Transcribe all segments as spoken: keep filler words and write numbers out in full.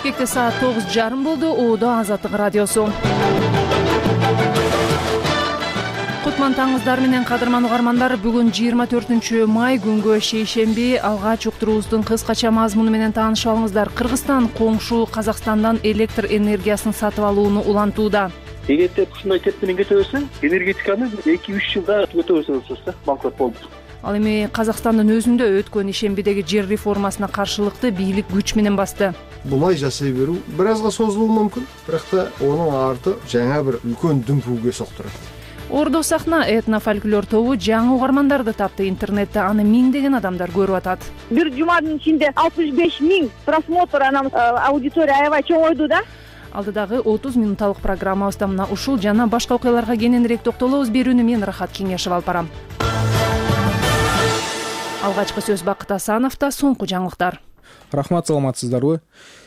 Бишкекте саат тогуз жарым болду. Оодо Азаттык радиосу. Кутман таңыздар менен кадырман угармандар, бүгүн жыйырма төртүнчү май күнгө шейшемби. Алгач уктуруубуздун кыскача мазмуну менен таанышып алыңыздар. Кыргызстан коңшу Казакстандан электр энергиясын сатып алууну улантууда. Эгерде ушундай темп менен кете берсе, энергетиканы эки үч жылда өтө берсеңиз да банкрот болуп. Ал эми Казакстандын өзүндө өткөн ишембидеги жер реформасына каршылыкты бийлик күч менен басты. Булай жасай берүү бир азга созулушу мүмкүн, бирок да онун арты жаңа бир үлкөн дүмпүүгө соктурат. Ордо сахна этно-фольклор тобу жаңы угармандарды тапты. Интернетте аны миңдеген адамдар көрүп атат. Бир жуманын ичинде алтымыш беш миң просмотр, анан аудитория аябай чоңойду да. Алдыдагы отуз минутталык программабызда мына ушул жана башка окуяларга кененирээк токтолобуз. Берүүнү мен Рахат Кеңешев алып барам. Алгачкы сөз Бакыт Асановдо. Соңку жаңылыктар. Рахмат, саламатсыздарбы?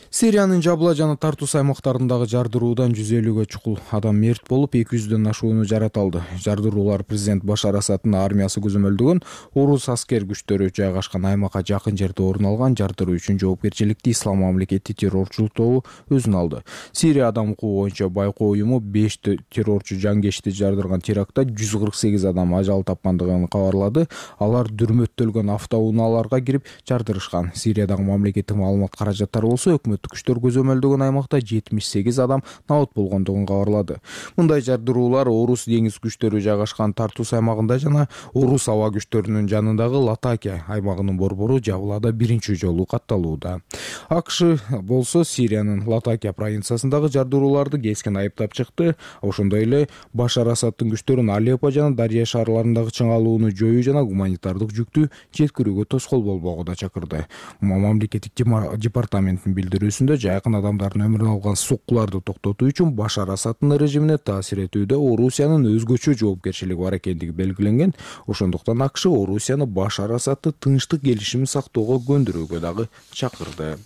Сириянын Жабла жана Тартус аймактарындагы жардыруудан жүз элүүгө чукул адам мерт болуп, эки жүздөн ашууну жараталды. Жардыруулар президент Башар Асадтын армиясы көзөмөлдөгөн орус аскер күчтөрү жайгашкан аймакка жакын жерде орун алган. Жардыруу үчүн жоопкерчиликти Ислам мамлекети террорчулук тобу өзүнө алды. Сирия адам укугу боюнча байкоо уюму беш террорчу жангечти жардырган терактта жүз кырк сегиз адам ажал тапкандыгын кабарлады. Алар дүрмөттөлгөн автоунааларга кирип жардырышкан. Сириядагы мамлекеттик маалымат каражаттары болсо, өкмөт күчтөр көзөмөлдөгөн аймакта жетимиш сегиз адам набат болгондугун кабарлады. Мындай жардыруулар орус деңиз күчтөрү жайгашкан Тартус аймагында жана орус аба күчтөрүнүн жанындагы Латакия аймагынын борбору Жавлада биринчи жолу катталууда. АКШ болсо Сириянын Латакия провинциясындагы жардырууларды кескен айыптап чыкты. Ошондой эле Башар Асадтын күчтөрүн Алеппо жана Дария шаарларындагы чыңалууну жоюу жана гуманитардык жүктү жеткирүүгө тоскоол болбоого да чакырды. Мамлекеттик департаменттин билдирүү жайкын адамдардын өмүрүн алган соккуларды токтотуу үчүн Башар Асадтын режимине таасир этүүдө Орусиянын өзгөчө жоопкерчилиги бар экендиги белгиленген. Ошондуктан АКШ Орусияны Башар Асадты тынчтык келишимин сактоого көндүрүүгө дагы чакырды.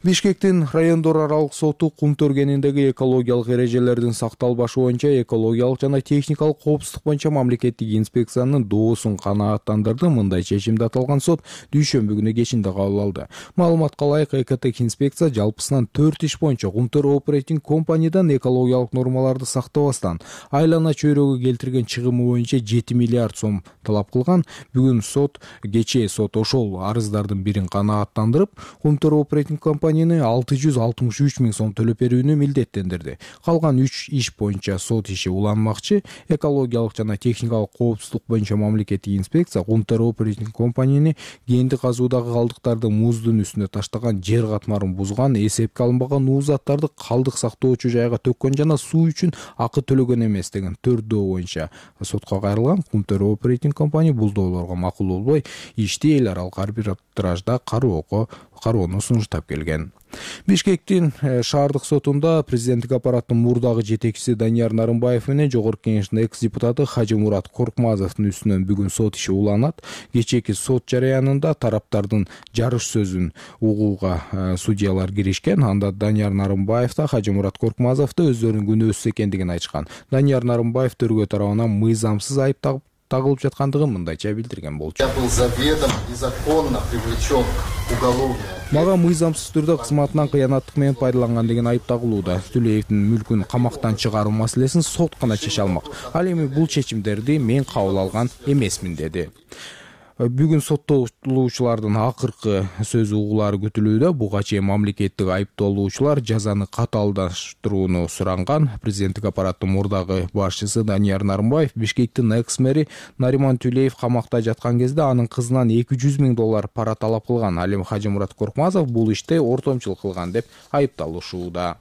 Бишкектин райондор аралык соту кум төргениндеги экологиялык эрежелердин сакталбашы боюнча экологиялык жана техникалык коопсуздук боюнча мамлекеттик инспекциянын доосун канааттандырды. Мындай чечимди аталган сот дүйшөмбү күнү кечинде кабыл алды. Маалыматка ылайык, Экотех инспекция жалпысынан төрт иш боюнча Кумтөр оперейтинг компаниядан экологиялык нормаларды сактабастан айлана чөйрөгө келтирген чыгымы боюнча жети миллиард сом талап кылган. Бүгүн сот кечээ сот ошол арыздардын бирин канааттандырып, Кумтөр оперейтинг компанияны алты жүз алтымыш үч миң сом төлөп берүүнү милдеттендирди. Калган үч иш боюнча сот иши уланмакчы. Экологиялык жана техникалык коопсуздук боюнча мамлекеттик инспекция Кумтөр оперейтинг компанияны кенди казуудагы калдыктарды муздун үстүнө таштаган, жер катмарын бузган, эсепке алынбаган нуу заттарды калдык сактоочу жайга төккөн жана суу үчүн акы төлөгөн эмес деген төрт доо боюнча сотко кайрылган. Кумтөр оперейтинг компания бул доолорго макул болбой, ишти эл аралык арбитражда кароого кароону сунуштап келген. Бишкектин шаардык сотунда президенттик аппараттын мурдагы жетекчиси Данияр Нарымбаев менен жогорку кеңештин экс-депутаты Хажимурат Коркмазовдун үстүнөн бүгүн сот иши уланат. Кечээки сот жарыянында тараптардын жарыш сөзүн угууга судьялар киришкен. Анда Данияр Нарымбаев да Хажимурат Коркмазов да өздөрүнүн күнөөсүз экендигин айтышкан. Данияр Нарымбаев төргө тарабынан мыйзамсыз айып тагып тагылып жаткандыгын мындайча билдирген болчу. Я был заведомо незаконно привлечен к уголовной. Мага мыйзамсыз түрдө кызматынан кыянаттык менен пайдаланган деген айып тагылууда. Түлеевдин мүлкүн камактан чыгаруу маселесин сот гана чече алмак. Ал эми бул чечимдерди мен кабыл алган эмесмин деди. Бүгүн соттолуучулардын акыркы сөз угуулары күтүлүүдө. Буга чейин мамлекеттик айыпталуучулар жазаны катаалдаштырууну суранган. Президенттик аппараттын мурдагы башчысы Данияр Нарымбаев Бишкектин экс-мэри Нариман Түлеев камакта жаткан кезде анын кызынан эки жүз миң доллар пара талап кылган. Ал эми Хажимурат Коркмазов бул иште ортомчулук кылган деп айыпталышууда.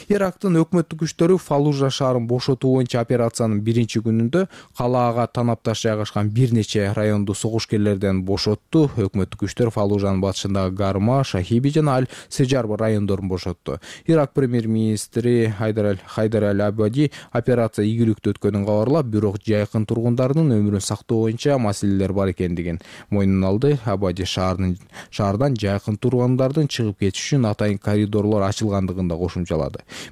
Ирактын өкмөттүк күчтөрү Фаллужа шаарын бошотуу боюнча операциянын биринчи күнүндө калаага танапташ жайгашкан бир нече районду согушкерлерден бошотту. Өкмөттүк күчтөр Фаллужанын батышындагы Гарма, Шахиби жана Аль-Сежар райондорун бошотту. Ирак премьер-министри Хайдар Аль-Абади операция ийгиликтүү өткөнүн кабарлап, бирок жайкын тургундардын өмүрүн сактоо боюнча маселелер бар экендигин мойнуна алды. Абади шаардан жайкын тургундардын чыгып кетиши үчүн атайын коридорлор ачылгандыгын да кошумчалады.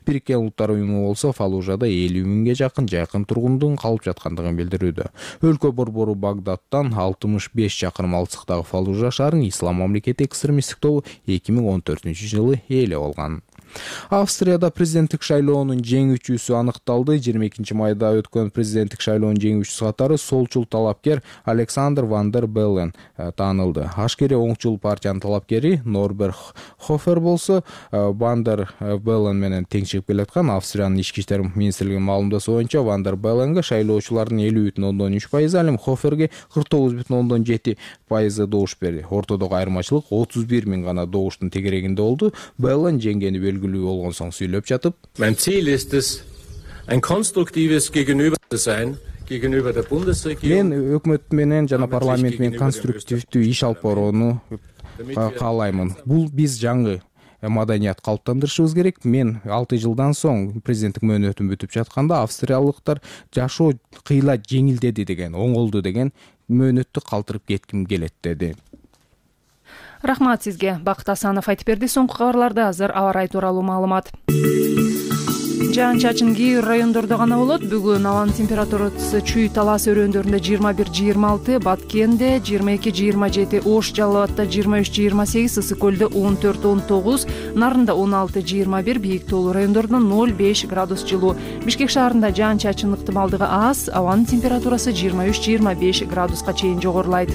Бириккен Улуттар уюму болсо Фаллужада элүү миңге жакын жайкын тургундун калып жаткандыгын билдирүүдө. Өлкө борбору Багдадтан алтымыш беш чакырым алыстыктагы Фаллужа шаарын Ислам мамлекети экстремисттик тобу эки миң он төртүнчү жылы ээлеп алган. Австрияда президенттик шайлоонун жеңүүчүсү аныкталды. жыйырма экинчи майда өткөн президенттик шайлоонун жеңүүчүсү катары солчул талапкер Александр ван дер Беллен таанылды. Ашкери оңчул партиянын талапкери Норберт Хофер болсо ван дер Беллен менен тең чыгып келаткан. Австриянын ички иштер министрлигинин маалымдасы боюнча ван дер Белленге шайлоочулардын элүү бүтүн ондон үч пайызы, ал эми Хоферге кырк тогуз бүтүн ондон жети пайызы добуш берди. Ортодогу айырмачылык отуз бир миң гана добуштун тегерегинде болду. Беллен жеңгени белгилүү болгон соң сүйлөп жатып: Mein Ziel ist es, ein konstruktives Gegenüber zu sein. Мен өкмөт менен жана парламент менен конструктивдүү иш алып барууну каалаймын. Бул биз жаңы маданият калыптандырышыбыз керек. Мен алты жылдан соң президенттик мөөнөтүм бүтүп жатканда австриялыктар жашоо кыйла жеңилдеди деген, оңолду деген мөөнөттү калтырып кетким келет деди. Рахмат сизге. Бакыт Асанов айтып берди. Соңку кабарларда азыр аба ырайы тууралуу маалымат. Жаан чачын кээ бир райондордо гана болот. Бүгүн абанын температурасы Чүй Талас өрөөндөрүндө жыйырма бир жыйырма алты, Баткенде жыйырма эки жыйырма жети, Ош Жалал Абадта жыйырма үч жыйырма сегиз, Ысык Көлдө он төрт он тогуз, Нарында он алты жыйырма бир, Бийик тоолуу райондордо ноль беш градус жылуу. Бишкек шаарында жаан чачын ыктымалдыгы аз, абанын температурасы жыйырма үч жыйырма беш градуска чейин жогорулайт.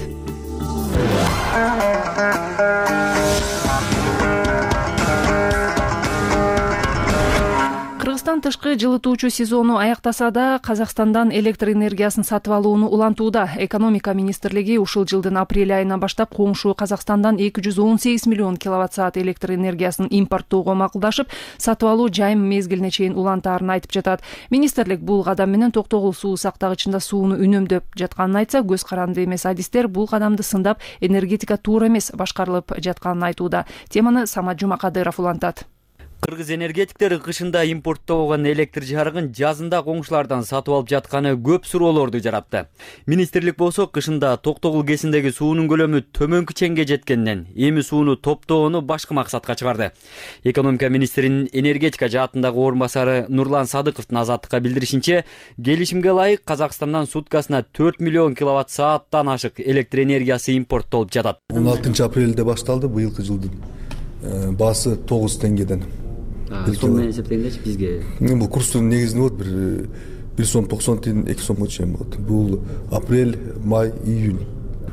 Кыргызстан тышкы жылытуучу сезону аяктаса да, Казакстандан электр энергиясын сатып алууну улантууда. Экономика министрлиги ушул жылдын апрель айынан баштап коңшу Казакстандан эки жүз он сегиз миллион киловатт-саат электр энергиясын импорттоого макулдашып, сатып алуу жайым мезгилине чейин улантаарын айтып жатат. Министрлик бул кадам менен Токтогул суу сактагычында сууну үнөмдөп жатканын айтса, көз каранды эмес адистер бул кадамды сындап, энергетика туура эмес башкарылып жатканын айтууда. Теманы Самат Жумакадыров улантат. Кыргыз энергетиктери кышында импорттогон электр жарыгын жазында коңшулардан сатып алып жатканы көп суроолорду жаратты. Министрлик болсо кышында Токтогул кесиндеги суунун көлөмү төмөнкү чеңге жеткенден эми сууну топтоону башка максатка чыгарды. Экономика министринин энергетика жаатындагы орун басары Нурлан Садыковдун Азаттыкка билдиришинче, келишимге ылайык Казакстандан суткасына төрт миллион киловатт-сааттан ашык электр энергиясы импорттолуп жатат. он алтынчы апрелде башталды быйылкы жылдын баасы тогуз теңгеден. Сом менен эсептегендечи бизге бул курстун негизинде болот бир бир сом токсон тиын эки сомго чейин болот. Бул апрель, май, июнь.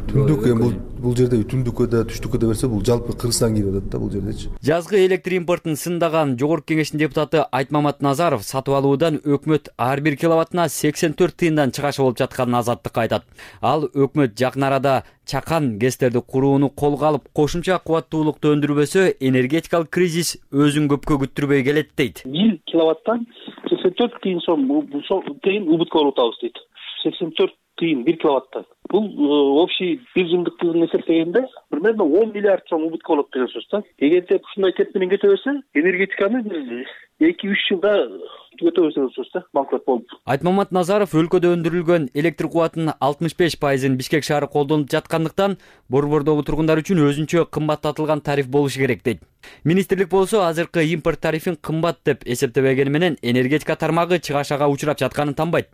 Түндүк бул бул жерде түндүккө да түштүккө да берсе бул жалпы Кыргызстан кирип атат да бул жердечи. Жазгы электр импортун сындаган Жогорку Кеңештин депутаты Айтмамат Назаров сатып алуудан өкмөт ар бир киловаттына сексен төрт тыйындан чыгашы болуп жатканын Азаттыкка айтат. Ал өкмөт жакын арада чакан гэстерди курууну колго алып, кошумча кубаттуулукту өндүрбөсө, энергетикалык кризис өзүн көпкө күттүрбөй келет дейт. бир киловаттан сексен төрт тыйын сом тыйын убытка болуп атабыз дейт. сексен төрт тыйын бир киловаттан. Бул общий бир жылдыктын эсептегенде примерно он миллиард сом убытка болот деген сөз да. Эгерде ушундай темп менен кете берсе, энергетиканы эки үч жылда түгөтөбүз деген сөз да, банкрот болуп. Айтмамат Назаров өлкөдө өндүрүлгөн электр кубатынын алтымыш беш пайызын Бишкек шаары колдонуп жаткандыктан борбордогу тургундар үчүн өзүнчө кымбаттатылган тариф болушу керек дейт. Министрлик болсо азыркы импорт тарифин кымбат деп эсептебегени менен энергетика тармагы чыгашага учурап жатканын танбайт.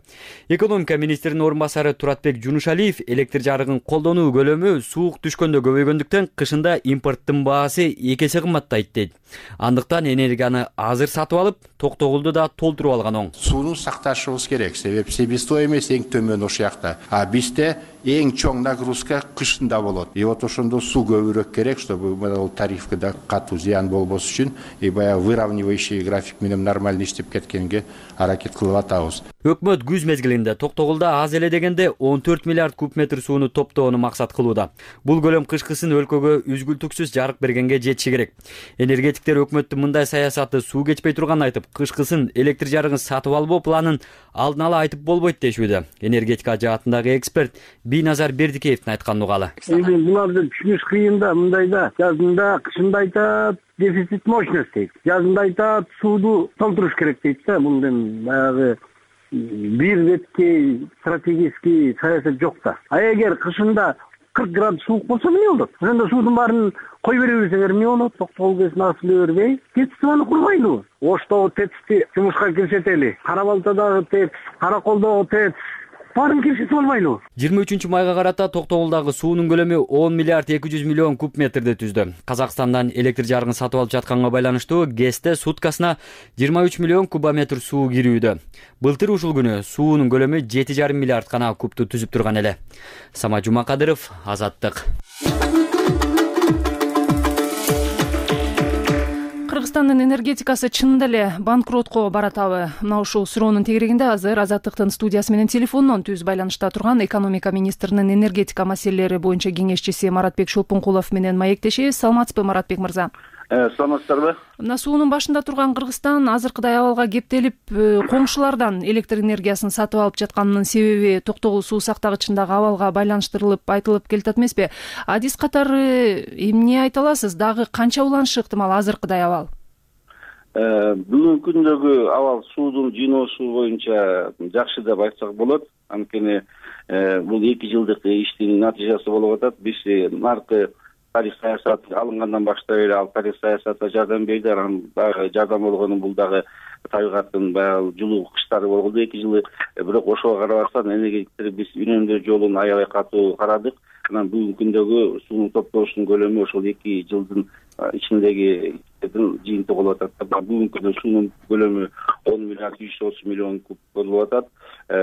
Экономика министринин орун басары Туратбек Жунушалиев электр жарыгын колдонуу көлөмү суук түшкөндө көбөйгөндүктөн кышында импорттун баасы эки эсе кымбаттайт дейт. Андыктан энергияны азыр сатып алып, Токтогулду да толтуруп алган оң. Сууну сакташыбыз керек, себеп себестоимость эң төмөн ошол жакта. А бизде эң чоң нагрузка кышында болот. И вот ошондо суу көбүрөөк керек, чтобы бул тарифке да катуу зыян болбос үчүн и баягы выравнивающий график менен нормально иштеп кеткенге аракет кылып атабыз. Өкмөт күз мезгилинде Токтогулда аз эле дегенде он төрт миллиард куб метр сууну топтоону максат кылууда. Бул көлөм кышкысын өлкөгө үзгүлтүксүз жарык бергенге жетиши керек. Энергетиктер өкмөттүн мындай саясаты суу кечпей турганын айтып, кышкысын электр жарыгын сатып албоо планын алдын ала айтып болбойт дешүүдө. Энергетика жаатындагы эксперт Бийназар Бердикеевдин айтканын угалы. Эми буларды түшүнүш кыйын да, мындайда жазында, кышында айтат дефицит мощности. Жазында айтат сууду толтуруш керек дейт да. Мындан баягы бир бетке стратегический саясат жок да. А эгер кышында кырк градус суук болсо эмне болот? Ошондо суудун баарын кой бере берсеңер эмне болот? Токтогул кесин асылы бербей, ТЭЦ-аны курбайлы. Оштогу ТЭЦти жумушка кирсетели. Кара Балтадагы ТЭЦ, Караколдогу ТЭЦ, баарын киришип албайлыбы? жыйырма үчүнчү майга карата Токтогулдагы суунун көлөмү он миллиард эки жүз миллион куб метрди түздү. Казакстандан электр жарыгын сатып алып жатканга байланыштуу ГЭСте суткасына жыйырма үч миллион кубометр суу кирүүдө. Былтыр ушул күнү суунун көлөмү жети жарым миллиард гана кубту түзүп турган эле. Самат Жумакадыров, Азаттык. Кыргызстандын энергетикасы чынында эле банкротко баратабы? Мына ушул суроонун тегерегинде азыр Азаттыктын студиясы менен телефондон түз байланышта турган экономика министринин энергетика маселелери боюнча кеңешчиси Маратбек Шолпонкулов менен маектешебиз. Саламатсызбы, Маратбек мырза? Саламатсыздарбы? Мына суунун башында турган Кыргызстан азыркыдай абалга кептелип, коңшулардан электр энергиясын сатып алып жатканынын себеби Токтогул суу сактагычындагы абалга байланыштырылып айтылып келатат эмеспи? Адис катары эмне айта аласыз? Дагы канча уланышы ыктымал азыркыдай абал? Бүгүнкү күндөгү абал суудун жыйноосу боюнча жакшы деп айтсак болот. Анткени бул эки жылдык иштин натыйжасы болуп атат. Биз наркы тарих саясаты алынгандан баштап эле ал тарих саясатына жардам берди. Анан дагы жардам болгону бул дагы табигаттын баягы жылуу кыштары болгону эки жылы. Бирок ошого карабастан энергетиктер биз үнөмдөө жолун аябай катуу карадык. Анан бүгүнкү күндөгү суунун топтошунун көлөмү ошол эки жылдын ичиндеги жыйынтыгы болуп атат. Бүгүнкү күндө суунун көлөмү он миллиард жүз отуз миллион куб болуп атат.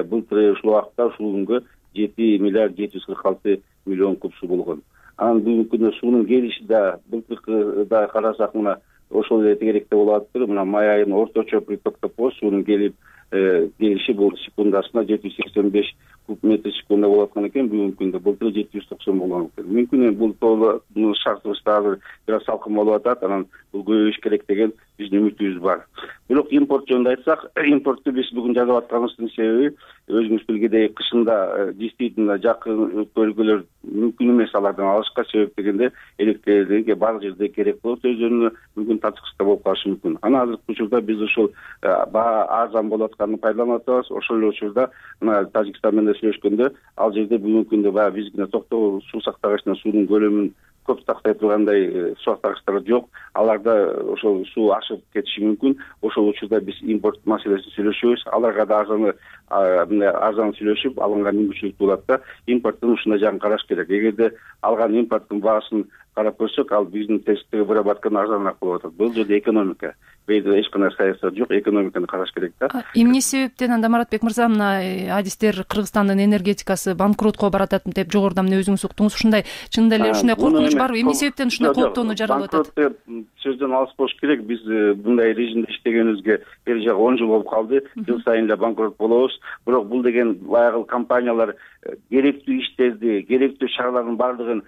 Былтыр ушул убакта ушул күнгө жети миллиард жети жүз кырк алты миллион куб суу болгон. Анан бүгүнкү күндө суунун келиши да былтыркы да карасак мына ошол эле тегеректе болуп атыптыр. Мына май айынын орточо притоктоп суунун келип келиши бул секундасына жети жүз сексен беш куб метр секунда болуп аткан экен. Бүгүнкү күндө былтыр жети жүз токсон болгон экен. Мүмкүн бул тооло шартыбызда азыр бир аз салкын болуп атат. Анан бул көбөйүш керек деген биздин үмүтүбүз бар. Бирок импорт жөнүндө айтсак, импортду биз бүгүн жазып атканыбыздын себеби өзүңүз билгендей кышында действительно жакын өлкөлөр мүмкүн эмес алардан алышка. Себеп дегенде электр баардык жерде керек болот. Өздөрүнө мүмкүн тачкычта болуп калышы мүмкүн. Анан азыркы учурда биз ошол баа арзан болуп атканын пайдаланып атабыз. Ошол эле учурда мына Тажикстан менен сүйлөшкөндө ал жерде бүгүнкү күндө баягы биздин Токтогул суу сактагычына суунун көлөмүн көп сактай тургандай суу сактагычтар жок. Аларда ошол суу ашып кетиши мүмкүн. Ошол учурда биз импорт маселесин сүйлөшөбүз. Аларга да арзаны арзан сүйлөшүп алынган мүмкүнчүлүк болот да. Импорттун ушундай жагын караш керек. Эгерде алган импорттун баасын карап көрсөк, ал биздин тесттеги выработкадан арзаныраак болуп атат. Бул жерде экономика. Бейде эч кандай саясат жок, экономиканы караш керек да. Эмне себептен анда Маратбек мырза мына адистер Кыргызстандын энергетикасы банкротко баратат деп жогоруда эмне өзүңүз уктуңуз? Ушундай чынында эле ушундай коркунуч барбы? Эмне себептен ушундай кооптонуу жаралып атат? Банкрот деп сөздөн алыс болуш керек. Биз мындай режимде иштегенибизге бери жагы он жыл болуп калды. Жыл сайын эле банкрот болобуз. Бирок бул деген баягы компаниялар керектүү иштерди, керектүү шаралардын баардыгын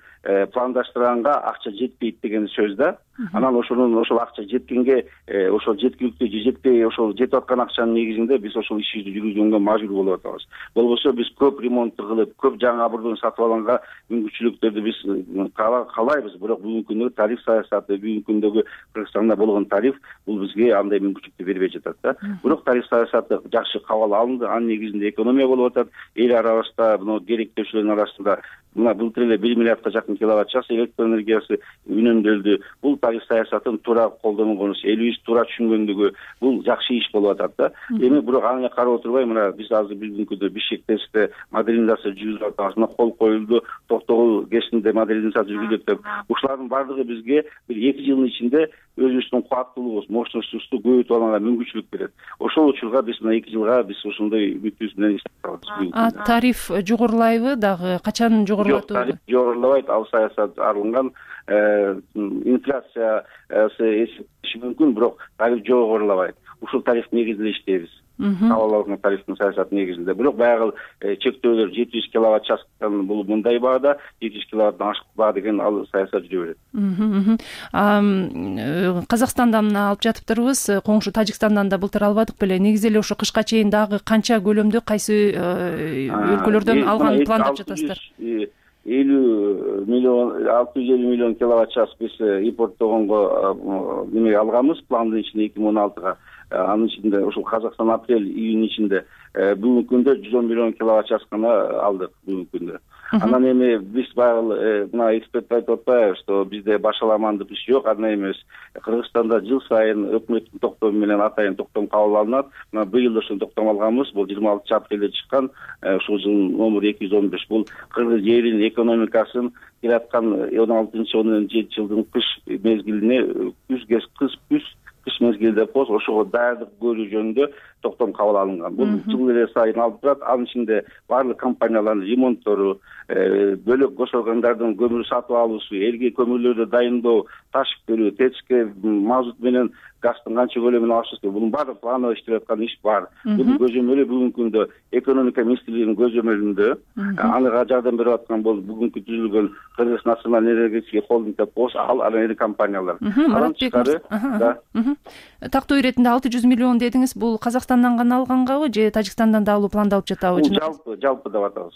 пландаштырганга акча жетпейт деген сөз да. Анан ошонун ошол акча жеткенге ошол жеткиликтүү же жетпей ошол жетип аткан акчанын негизинде биз ошол ишибизди жүргүзгөнгө мажбур болуп атабыз. Болбосо биз көп ремонт кылып, көп жаңы оборудование сатып алганга мүмкүнчүлүктөрдү биз каалайбыз. Бирок бүгүнкү күндөгү тариф саясаты, бүгүнкү күндөгү Кыргызстанда болгон тариф бул бизге андай мүмкүнчүлүктү бербей жатат да. Бирок тариф саясаты жакшы кабыл алынды. Анын негизинде экономия болуп атат. Эл арабызда мына керектөөчүлөрдүн арасында мына былтыр эле бир миллиардка жакын киловатт час электр энергиясы үнөмдөлдү. Бул тариф саясатын туура колдонгонубуз, элибиз туура түшүнгөндүгү бул жакшы иш болуп атат да. Эми бирок аны карап отурбай мына биз азыр бүгүнкү күндө Бишкекте модернизация жүргүзүп атабыз. Мына кол коюлду, Токтогул ГЭСинде модернизация жүргүзүлөт деп. Ушулардын баардыгы бизге бир эки жылдын ичинде өзүбүздүн кубаттуулугубуз, мощностубузду көбөйтүп алганга мүмкүнчүлүк берет. Ошол учурга биз мына эки жылга биз ошондой үмүтүбүз менен иштеп А тариф жогорулайбы дагы? Качан жогорулат? Жок, тариф жогорулабайт. Ал саясат арылган. Инфляциясы эсептеши мүмкүн, бирок тариф жогорулабайт. Ушул тариф негизинде иштейбиз. Кабыл алган тарифтин саясаты негизинде. Бирок баягы чектөөлөр жети жүз киловатт частан бул мындай баада, жети жүз киловаттан ашык баа деген ал саясат жүрө берет. Казакстандан алып жатыптырбыз, коңшу Тажикстандан да былтыр албадык беле. Негизи эле ошо кышка чейин дагы канча көлөмдө кайсы өлкөлөрдөн алган пландап жатасыздар? элүү миллион алты жүз элүү миллион киловатт час биз импорттогонго неме алганбыз пландын ичинде эки миң он алтыга. Анын ичинде ошол Казакстан апрель июнь ичинде бүгүнкү күндө жүз он миллион киловатт час гана алдык бүгүнкү күндө. Анан эми биз баягы мына эксперт айтып атпайбы, что бизде башаламандык иш жок, андай эмес. Кыргызстанда жыл сайын өкмөттүн токтому менен атайын токтом кабыл алынат. Мына быйыл ошону токтом алганбыз. Бул жыйырма алтынчы апрелде чыккан, ушул жылдын номери эки жүз он беш. Бул кыргыз элинин экономикасын келаткан он алтынчы он жетинчи жылдын кыш мезгилине күзгө кыз күз кыш мезгилде болсо ошого даярдык көрүү жөнүндө токтом кабыл алынган. Бул жыл эле сайын алып турат. Анын ичинде баардык компаниялардын ремонттору, бөлөк кош органдардын көмүр сатып алуусу, элге көмүрлөрдү дайындоо, ташып берүү, течке мазут менен газдын канча көлөмүн алышыбыз керек. Бунун баардык планы иштеп аткан иш бар. Бунун көзөмөлү бүгүнкү күндө экономика министрлигинин көзөмөлүндө ага жардам берип аткан бул бүгүнкү түзүлгөн Кыргыз националдык энергетика холдинг деп болсо, ал анан iri компаниялар. Тактоо иретинде алты жүз миллион дедиңиз, бул Казакстандан гана алгангабы же Тажикстандан да алуу пландалып жатабы? Жалпы, жалпы деп атабыз.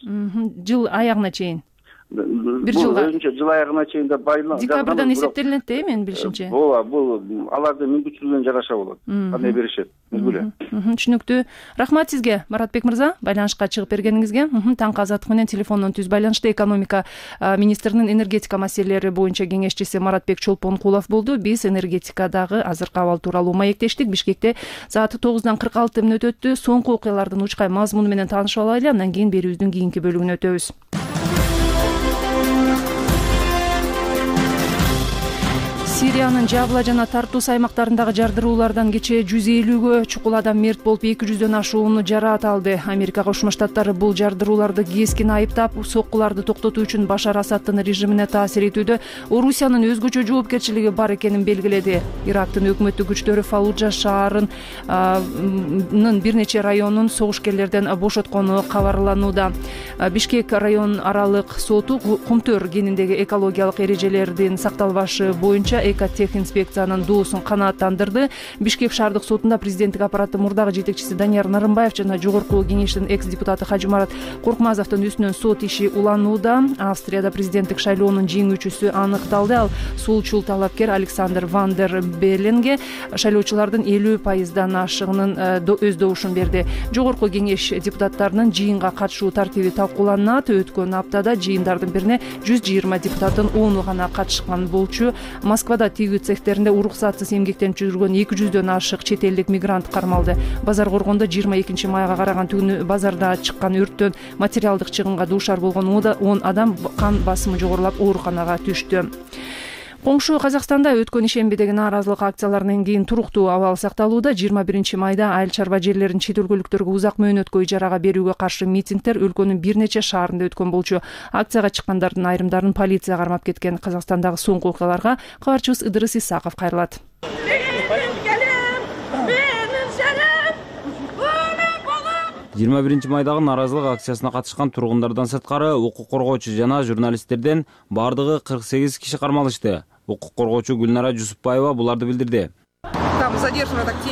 Жыл аягына чейин. Бир жылга. Жыл аягына чейин деп байланып. Декабрдан эсептелинет да, менин билишимче. Ооба, бул алардын мүмкүнчүлүгүнө жараша болот. Кандай беришет? Түшүнүктүү. Рахмат сизге, Маратбек мырза, байланышка чыгып бергениңизге. Таңкы азаттык менен телефондон түз байланышта экономика министринин энергетика маселелери боюнча кеңешчиси Маратбек Чолпонкулов болду. Биз энергетикадагы азыркы абал тууралуу маектештик. Бишкекте саат тогуздан кырк алты мүнөт өттү. Соңку окуялардын учкай мазмуну менен таанышып алайлы. Андан кийин берүүбүздүн кийинки бөлүгүнө өтөбүз. Сириянын Жабла жана Тартус аймактарындагы жардыруулардан кечээ жүз элүүгө чукул адам мерт болуп, эки жүздөн ашууну жараат алды. Америка Кошмо Штаттары бул жардырууларды кескин айыптап, соккуларды токтотуу үчүн Башар Асадтын режимине таасир этүүдө Орусиянын өзгөчө жоопкерчилиги бар экенин белгиледи. Ирактын өкмөттүк күчтөрү Фаллуджа шаарынын бир нече районун согушкерлерден бошоткону кабарланууда. Бишкек район аралык соту Кумтөр кениндеги экологиялык эрежелердин сакталбашы боюнча Экотех инспекциянын доосун канааттандырды. Бишкек шаардык сотунда президенттик аппараттын мурдагы жетекчиси Данияр Нарымбаев жана жогорку кеңештин экс-депутаты Хажымарат Коркмазовдун үстүнөн сот иши уланууда. Австрияда президенттик шайлоонун жеңүүчүсү аныкталды. Ал сулчул талапкер Александр Ван дер Белленге шайлоочулардын элүү пайыздан ашыгынын өз добушун берди. Жогорку кеңеш депутаттарынын жыйынга катышуу тартиби талкууланат. Өткөн аптада жыйындардын бирине жүз жыйырма депутаттын ону гана катышкан болчу. Москвада тигүү цехтеринде уруксатсыз эмгектенип жүргөн эки жүздөн ашык чет элдик мигрант кармалды. Базар коргондо жыйырма экинчи майга караган түнү базарда чыккан өрттөн материалдык чыгымга дуушар болгон он адам кан басымы жогорулап ооруканага түштү. Коңшу Казакстанда өткөн ишембидеги нааразылык акцияларынан кийин туруктуу абал сакталууда. жыйырма биринчи майда айыл чарба жерлерин чет өлкөлүктөргө узак мөөнөткө ижарага берүүгө каршы митингдер өлкөнүн бир нече шаарында өткөн болчу. Акцияга чыккандардын айрымдарын полиция кармап кеткен. Казакстандагы соңку окуяларга кабарчыбыз Ыдырыс Исаков кайрылат. жыйырма биринчи майдагы нааразылык акциясына катышкан тургундардан сырткары укук коргоочу жана журналисттерден бардыгы кырк сегиз киши кармалышты. Укук коргоочу Гүлнара Жусупбаева буларды билдирди.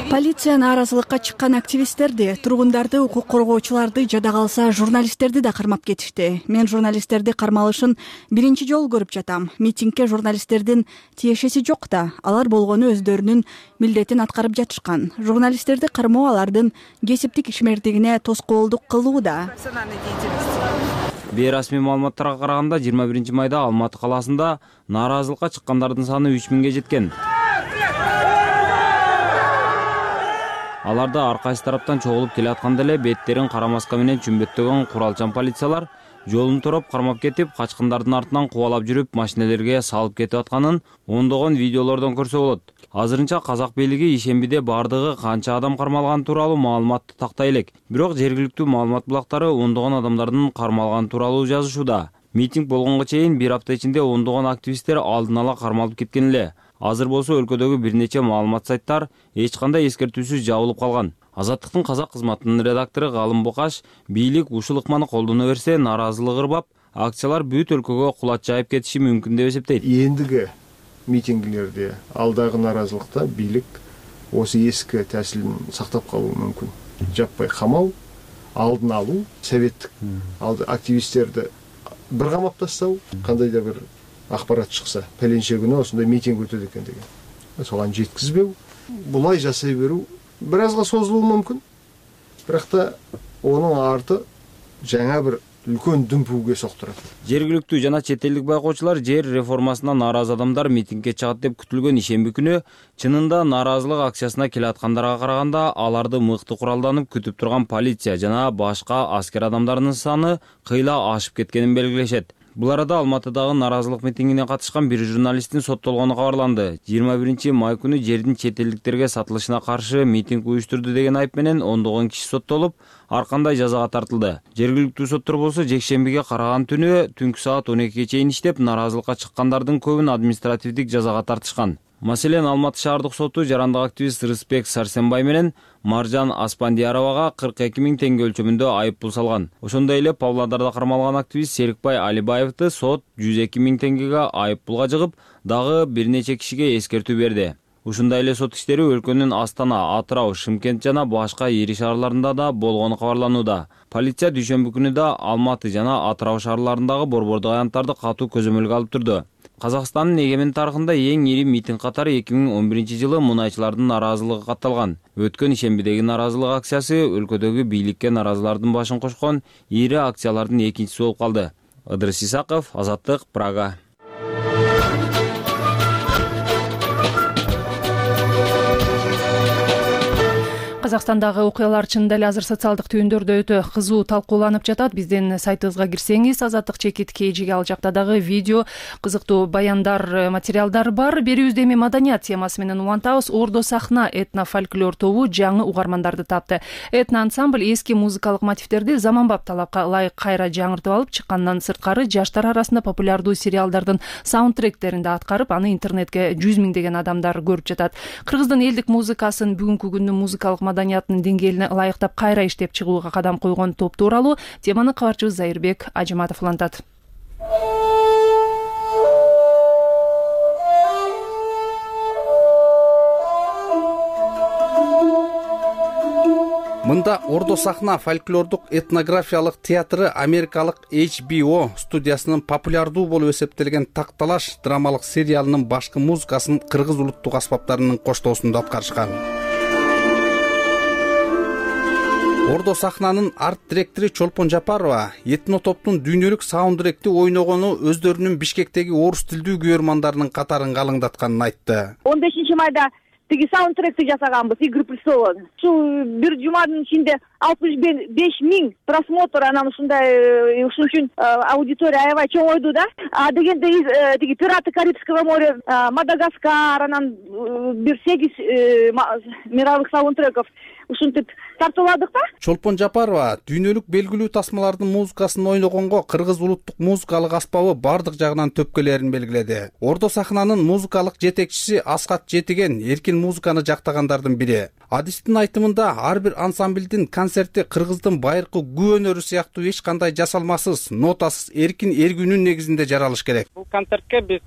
Полиция нааразылыкка чыккан активисттерди, тургундарды, укук коргоочуларды, жада калса журналисттерди да кармап кетишти. Мен журналисттерди кармалышын биринчи жолу көрүп жатам. Митингге журналисттердин тиешеси жок да, алар болгону өздөрүнүн милдетин аткарып жатышкан. Журналисттерди кармоо алардын кесиптик ишмердигине тоскоолдук кылууда. Бейрасмий маалыматтарга караганда жыйырма биринчи майда Алматы калаасында нааразылыкка чыккандардын саны үч миңге жеткен. Аларда ар кайсы тараптан чогулуп келе атканда эле беттерин кара маска менен чүмбөттөгөн куралчан полициялар жолун тороп кармап кетип, качкындардын артынан кубалап жүрүп, машинелерге салып кетип атканын ондогон видеолордон көрсө болот. Азырынча казак бийлиги ишембиде бардыгы канча адам кармалганы тууралуу маалыматты тактай элек. Бирок жергиликтүү маалымат булактары ондогон адамдардын кармалганы тууралуу жазышууда. Митинг болгонго чейин бир апта ичинде ондогон активисттер алдын ала кармалып кеткен эле. Азыр болсо өлкөдөгү бир нече маалымат сайттар эч кандай эскертүүсүз жабылып калган. Азаттыктын казак кызматынын редактору Галым Бокаш бийлик ушул ыкманы колдоно берсе, нааразылык ырбап, акциялар бүт өлкөгө кулат жайып кетиши мүмкүн деп эсептейт. Эндиги митингилерде, алдагы нааразылыкта бийлик осы эски тәсилин сактап калуу мүмкүн. Жаппай камау, алдын алуу, советтик алды активисттерди бир камап тастау, кандайдыр бир акпарат чыкса, пеленче күнү осундай митинг өтөт экен деген. Соган жеткизбеу, булай жасай берүү бир азга созулуу мүмкүн. Бирок та онун арты жаңа бир үлкөн дүмпүүгө соктурат. Жергиликтүү жана чет элдик байкоочулар жер реформасына нааразы адамдар митингге чыгат деп күтүлгөн ишемби күнү чынында нааразылык акциясына келе аткандарга караганда аларды мыкты куралданып күтүп турган полиция жана башка аскер адамдарынын саны кыйла ашып кеткенин белгилешет. Бул арада Алматыдагы нааразылык митингине катышкан бир журналисттин соттолгону кабарланды. жыйырма биринчи май күнү жердин чет элдиктерге сатылышына каршы митинг уюштурду деген айып менен ондогон киши соттолуп, ар кандай жазага тартылды. Жергиликтүү соттор болсо жекшембиге караган түнү түнкү саат он экиге чейин иштеп, нааразылыкка чыккандардын көбүн административдик жазага тартышкан. Маселен, Алматы шаардык соту жарандык активист Рыспек Сарсенбай менен Маржан Аспандияровага кырк эки миң теңге өлчөмүндө айып пул салган. Ошондой эле Павлодарда кармалган активист Серикбай Алибаевди сот жүз эки миң теңгеге айып пулга жыгып, дагы бир нече кишиге эскертүү берди. Ушундай эле сот иштери өлкөнүн Астана, Атырау, Шымкент жана башка ири шаарларында да болгону кабарланууда. Полиция дүйшөмбү күнү да Алматы жана Атырау шаарларындагы борбордук аянттарды катуу көзөмөлгө алып турду. Казакстандын эгемен тарыхында эң ири митинг катары эки миң он биринчи жылы мунайчылардын нааразылыгы катталган. Өткөн ишембидеги нааразылык акциясы өлкөдөгү бийликке нааразылардын башын кошкон ири акциялардын экинчиси болуп калды. Ыдырыс Исаков, Азаттык, Прага. Казакстандагы окуялар чынында эле азыр социалдык түйүндөрдө өтө кызуу талкууланып жатат. Биздин сайтыбызга кирсеңиз, Азаттык чекит кейжиге ал жакта дагы видео, кызыктуу баяндар, материалдар бар. Берүүбүздө эми маданият темасы менен улантабыз. Ордо сахна этно-фольклор тобу жаңы угармандарды тапты. Этно ансамбль эски музыкалык мотивдерди заманбап талапка ылайык кайра жаңыртып алып чыккандан сырткары, жаштар арасында популярдуу сериалдардын саундтректеринде аткарып, аны интернетке жүз миңдеген адамдар көрүп жатат. Кыргыздын элдик музыкасын бүгүнкү күндүн музыкалык маданиятынын деңгээлине ылайыктап кайра иштеп чыгууга кадам койгон топ тууралуу теманы кабарчыбыз Зайырбек Ажыматов улантат. Мында Ордо сахна фольклордук этнографиялык театры Америкалык эйч би о студиясынын популярдуу болуп эсептелген Такталаш драмалык сериалынын башкы музыкасын кыргыз улуттук аспаптарынын коштоосунда аткарышкан. Ордо сахнанын арт директору Чолпон Жапарова этно топтун дүйнөлүк саундтректи ойногону өздөрүнүн Бишкектеги орус тилдүү күйөрмандарынын катарын калыңдатканын айтты. он бешинчи майда тиги саундтректи жасаганбыз Игры престолов. Ушу бир жуманын ичинде алтымыш беш миң просмотр, анан ушундай ушун үчүн аудитория аябай чоңойду да. А дегенде тиги Пираты Карибского моря, Мадагаскар, анан бир сегиз мировых саундтреков ушинтип тартууладык да. Чолпон Жапарова дүйнөлүк белгилүү тасмалардын музыкасын ойногонго кыргыз улуттук музыкалык аспабы бардык жагынан төпкөлөрүн белгиледи. Ордо сахнанын музыкалык жетекчиси Аскат Жетиген эркин музыканы жактагандардын бири. Адистин айтымында ар бир ансамблдин концерти кыргыздын байыркы күү өнөрү сыяктуу эч кандай жасалмасыз, нотасыз, эркин эргүүнүн негизинде жаралыш керек. Бул концертке биз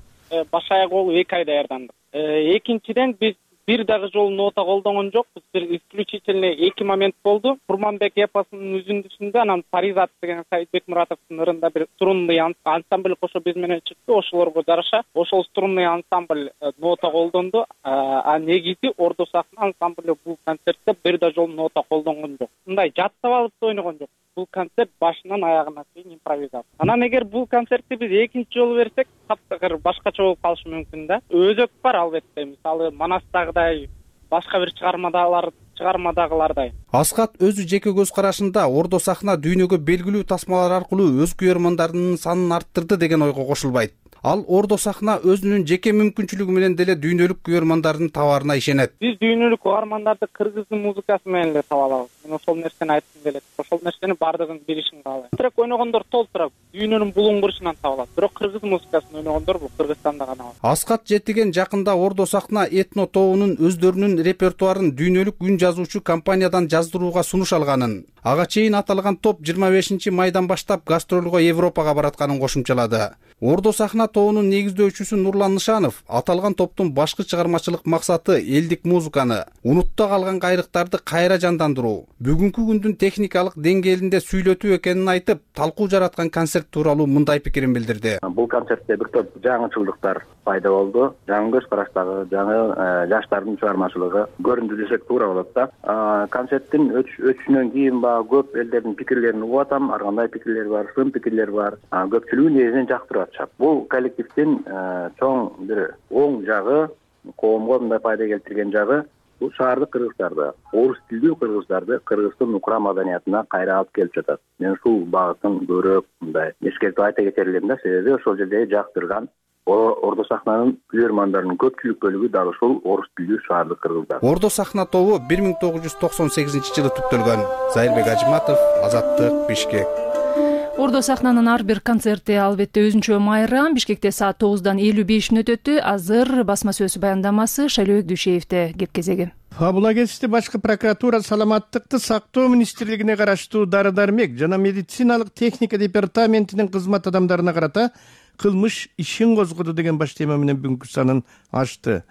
баш аяк болуп эки ай даярдандык. Экинчиден биз бир дагы жолу нота колдонгон жокпуз. Бир исключительно эки момент болду. Курманбек эпосунун үзүндүсүндө анан Паризат деген Саидбек Муратовдун ырында бир струнный ансамбль кошо биз менен чыкты. Ошолорго жараша ошол струнный ансамбль нота колдонду. А негизи Ордо сахна ансамбль бул концертте бир да жолу нота колдонгон жок. Мындай жаттап алып ойногон жок. Бул концерт башынан аягына чейин импровизация. Анан эгер бул концертти биз экинчи жолу берсек, таптакыр башкача болуп калышы мүмкүн да. Өзөк бар албетте. Мисалы Манастагыдай, башка бир чыгармадагылар чыгармадагылардай. Аскат өзү жеке көз карашында Ордо сахна дүйнөгө белгилүү тасмалар аркылуу өз күйөрмандарынын санын арттырды деген ойго кошулбайт. Ал Ордо сахна өзүнүн жеке мүмкүнчүлүгү менен деле дүйнөлүк күйөрмандардын табаарына ишенет. Биз дүйнөлүк угармандарды кыргыздын музыкасы менен эле таба алабыз. Мен ошол нерсени айткым келет. Ошол нерсени бардыгын билишин каалайм. Трек ойногондор толтура дүйнөнүн булуңгурушунан таба алат. Бирок кыргыз музыкасын ойногондор бул Кыргызстанда гана бар. Аскат Жетиген жакында Ордо сахна этно тобунун өздөрүнүн репертуарын дүйнөлүк үн жазуучу компаниядан жаздырууга сунуш алганын, ага чейин аталган топ жыйырма бешинчи майдан баштап гастролго Европага баратканын кошумчалады. Ордо сахна тобунун негиздөөчүсү Нурлан Нышанов аталган топтун башкы чыгармачылык максаты элдик музыканы, унутта калган кайрыктарды кайра жандандыруу, бүгүнкү күндүн техникалык деңгээлинде сүйлөтүү экенин айтып, талкуу жараткан концерт тууралуу мындай пикирин билдирди. Бул концертте бир топ жаңычылдыктар пайда болду. Жаңы көз караштагы, жаңы жаштардын чыгармачылыгы көрүндү десек туура болот да. Концерттин өтүшүнөн кийин баягы көп элдердин пикирлерин угуп атам. Ар кандай пикирлер бар, сын пикирлер бар. Көпчүлүгү негизинен жактырып атышат. Бул коллективдин чоң бир оң жагы, коомго мындай пайда келтирген жагы бул шаардык кыргыздарды, орус тилдүү кыргыздарды Кыргыздын укра маданиятына кайра алып келип жатат. Мен ушул багытын көбүрөөк мындай эскертип айта кетер элем да, себеби ошол жерде жактырган Ордо сахнанын күйөрмандарынын көпчүлүк бөлүгү дал ушул орус тилдүү шаардык кыргыздар. Ордо сахна тобу бир миң тогуз жүз токсон сегизинчи жылы түптөлгөн. Зайырбек Ажиматов, Азаттык, Бишкек. Ордо сахнанын ар бир концерти албетте өзүнчө майрам. Бишкекте саат тогуздан элүү беш мүнөт өттү. Азыр басма сөз баяндамасы Шайлообек Дүйшеевде кеп кезеги. Фабула кесипти башкы прокуратура саламаттыкты сактоо министрлигине караштуу дары-дармек жана медициналык техника департаментинин кызмат адамдарына карата кылмыш ишин козгоду деген баш тема менен бүгүнкү санын ачты.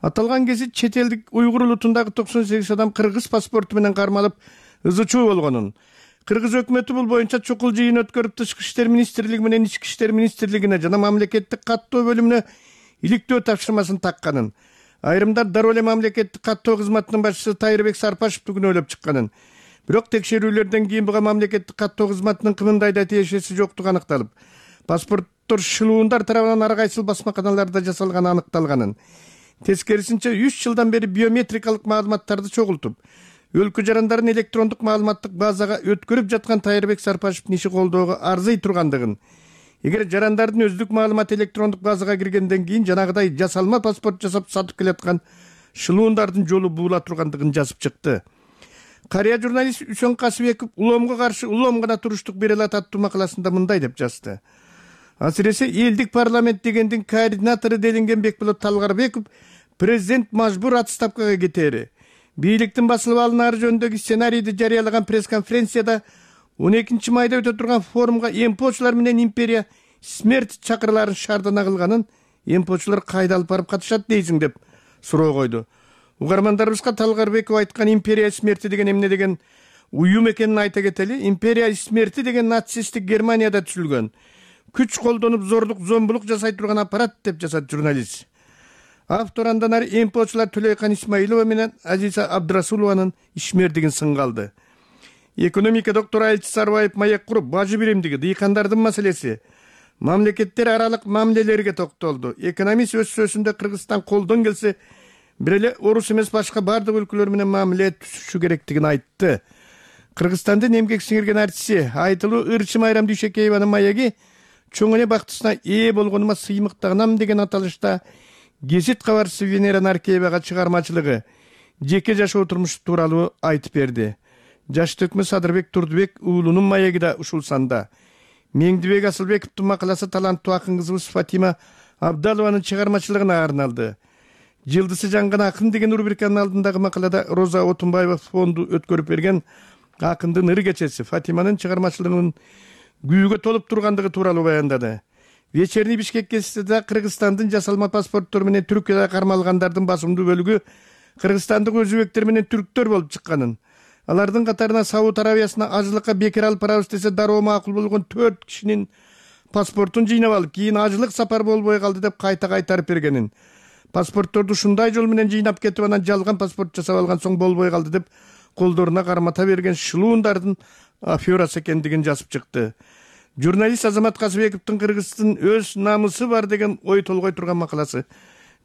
Аталган гезит чет элдик уйгур улутундагы токсон сегиз адам кыргыз паспорту менен кармалып ызы чуу болгонун, кыргыз өкмөтү бул боюнча чукул жыйын өткөрүп Тышкы иштер министрлиги менен Ички иштер министрлигине жана мамлекеттик каттоо бөлүмүнө иликтөө тапшырмасын такканын, айрымдар дароо эле мамлекеттик каттоо кызматынын башчысы Тайырбек Сарпашевди күнөөлөп чыкканын, бирок текшерүүлөрдөн кийин буга мамлекеттик каттоо кызматынын кымындай да тиешеси жоктугу аныкталып, паспорттор шылуундар тарабынан ар кайсыл басмаканаларда жасалганы аныкталганын, тескерисинче үч жылдан бери биометрикалык маалыматтарды чогултуп, өлкө жарандарын электрондук маалыматтык базага өткөрүп жаткан Тайырбек Сарпашевдин иши колдоого арзый тургандыгын, эгер жарандардын өздүк маалыматы электрондук базага киргенден кийин жанагыдай жасалма паспорт жасап сатып келаткан шылуундардын жолу буула тургандыгын жазып чыкты. Карыя журналист Үсөн Касыбеков уломго каршы улом гана туруштук бере алат аттуу макаласында мындай деп жазды. Асыресе элдик парламент дегендин координатору делинген Бекболот Талгарбеков президент мажбур отставкага кетери, бийликтин басылып алынары жөнүндөгү сценарийди жарыялаган пресс-конференцияда он экинчи майда өтө турган форумга эмпочулар менен империя смерть чакырыларын шаардана кылганын эмпочулар кайда алып барып катышат дейсиң деп суроо койду. Угармандарыбызга Талгарбеков айткан империя смерти деген эмне деген уюм экенин айта кетели. Империя смерти деген нацисттик Германияда түзүлгөн, күч колдонуп зорлук, зомбулук жасай турган аппарат деп жазат журналист. Автор андан ары эмпочулар Төлөйкан Исмаилова менен Азиза Абдрасулованын ишмердигин сынга алды. Экономика доктору Айлчы Сарбаев маек куруп, бажы биримдиги, дыйкандардын маселеси, мамлекеттер аралык мамилелерге токтолду. Экономист өз сөзүндө Кыргызстан колдон келсе бир эле орус эмес башка бардык өлкөлөр менен мамиле түзүшү керектигин айтты. Кыргызстандын эмгек сиңирген артисти айтылуу Ырчы Майрам Дүйшекееванын маеги чоң эле бактысына ээ болгонума сыймыктанам деген аталышта гезит кабарчысы Венера Наркеевага чыгармачылыгы, жеке жашоо турмушу тууралуу айтып берди. Жаш төкмө Садырбек Турдубек уулунун маеги да ушул санда. Меңдибек Асылбековдун макаласы таланттуу акын кызыбыз Фатима Абдалованын чыгармачылыгына арналды. Жылдысы жанган акын деген рубриканын алдындагы макалада Роза Отунбаева фонду өткөрүп берген акындын ыр кечеси Фатиманын чыгармачылыгынын күйүүгө толуп тургандыгы тууралуу баяндады. Вечерний Бишкек гезитиде Кыргызстандын жасалма паспорттору менен Түркияда кармалгандардын басымдуу бөлүгү кыргызстандык өзбектер менен түрктөр болуп чыкканын, алардын катарына Сауд Арабиясына ажылыкка бекер алып барабыз десе дароо макул болгон төрт кишинин паспортун жыйнап алып, кийин ажылык сапар болбой калды деп кайта кайтарып бергенин, паспортторду ушундай жол менен жыйнап кетип анан жалган паспорт жасап алган соң болбой калды деп колдоруна кармата берген шылуундардын аферасы экендигин жазып чыкты. Журналист Азамат Касыбековдун Кыргыздын өз намысы бар деген ой толгой турган макаласы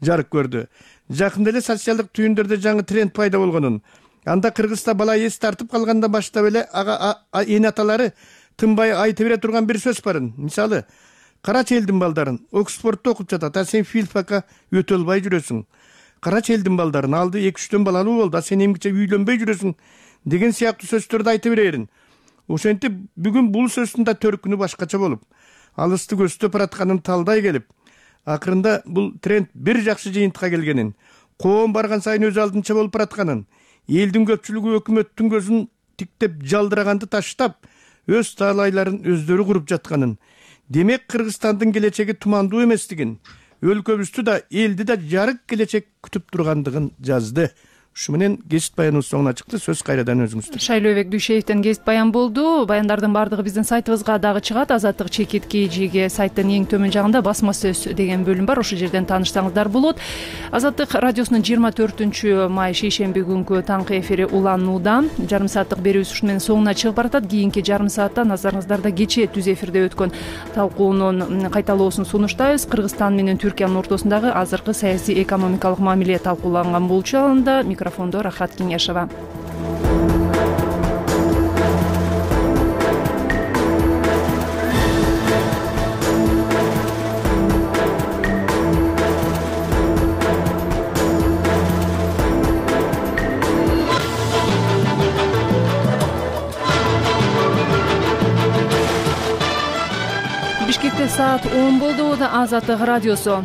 жарык көрдү. Жакында эле социалдык түйүндөрдө жаңы тренд пайда болгонун, анда Кыргызда бала эс тартып калганда баштап эле ага эне аталары тынбай айта бере турган бир сөз барын. Мисалы, карачы элдин балдарын Оксфордто окуп жатат, а сен филфакка өтө албай жүрөсүң. Карачы элдин балдарын алды эки үчтөн балалуу болду, а сен эмгиче үйлөнбөй жүрөсүң деген сыяктуу сөздөрдү айта берерин. Ошентип бүгүн бул сөздүн да төркүнү башкача болуп, алысты көздөп баратканын талдай келип, акырында бул тренд бир жакшы жыйынтыкка келгенин, коом барган сайын өз алдынча болуп баратканын, элдин көпчүлүгү өкмөттүн көзүн тиктеп жалдыраганды таштап, өз таалайларын өздөрү куруп жатканын, демек Кыргызстандын келечеги тумандуу эместигин, өлкөбүздү да элди да жарык келечек күтүп тургандыгын жазды. ушу менен кесип баяныбыз соңуна чыкты. Сөз кайрадан өзүңүздө. Шайлообек Дүйшеевден кесип баян болду. Баяндардын баардыгы биздин сайтыбызга дагы чыгат. Азаттык чекитки жиге сайттын эң төмөн жагында басма сөз деген бөлүм бар. Ошол жерден таанышсаңыздар болот. Азаттык радиосунун жыйырма төртүнчү май шейшемби күнкү таңкы эфири уланууда. Жарым сааттык берүүбүз ушу менен соңуна чыгып баратат. Кийинки жарым саатта назарыңыздарда кечээ түз эфирде өткөн талкуунун кайталоосун сунуштайбыз. Кыргызстан менен Түркиянын ортосундагы азыркы саясий экономикалык мамиле талкууланган болчу. Анда микрофондо Рахат Кеңешова. Бишкекте саат он болду. Азаттык радиосу.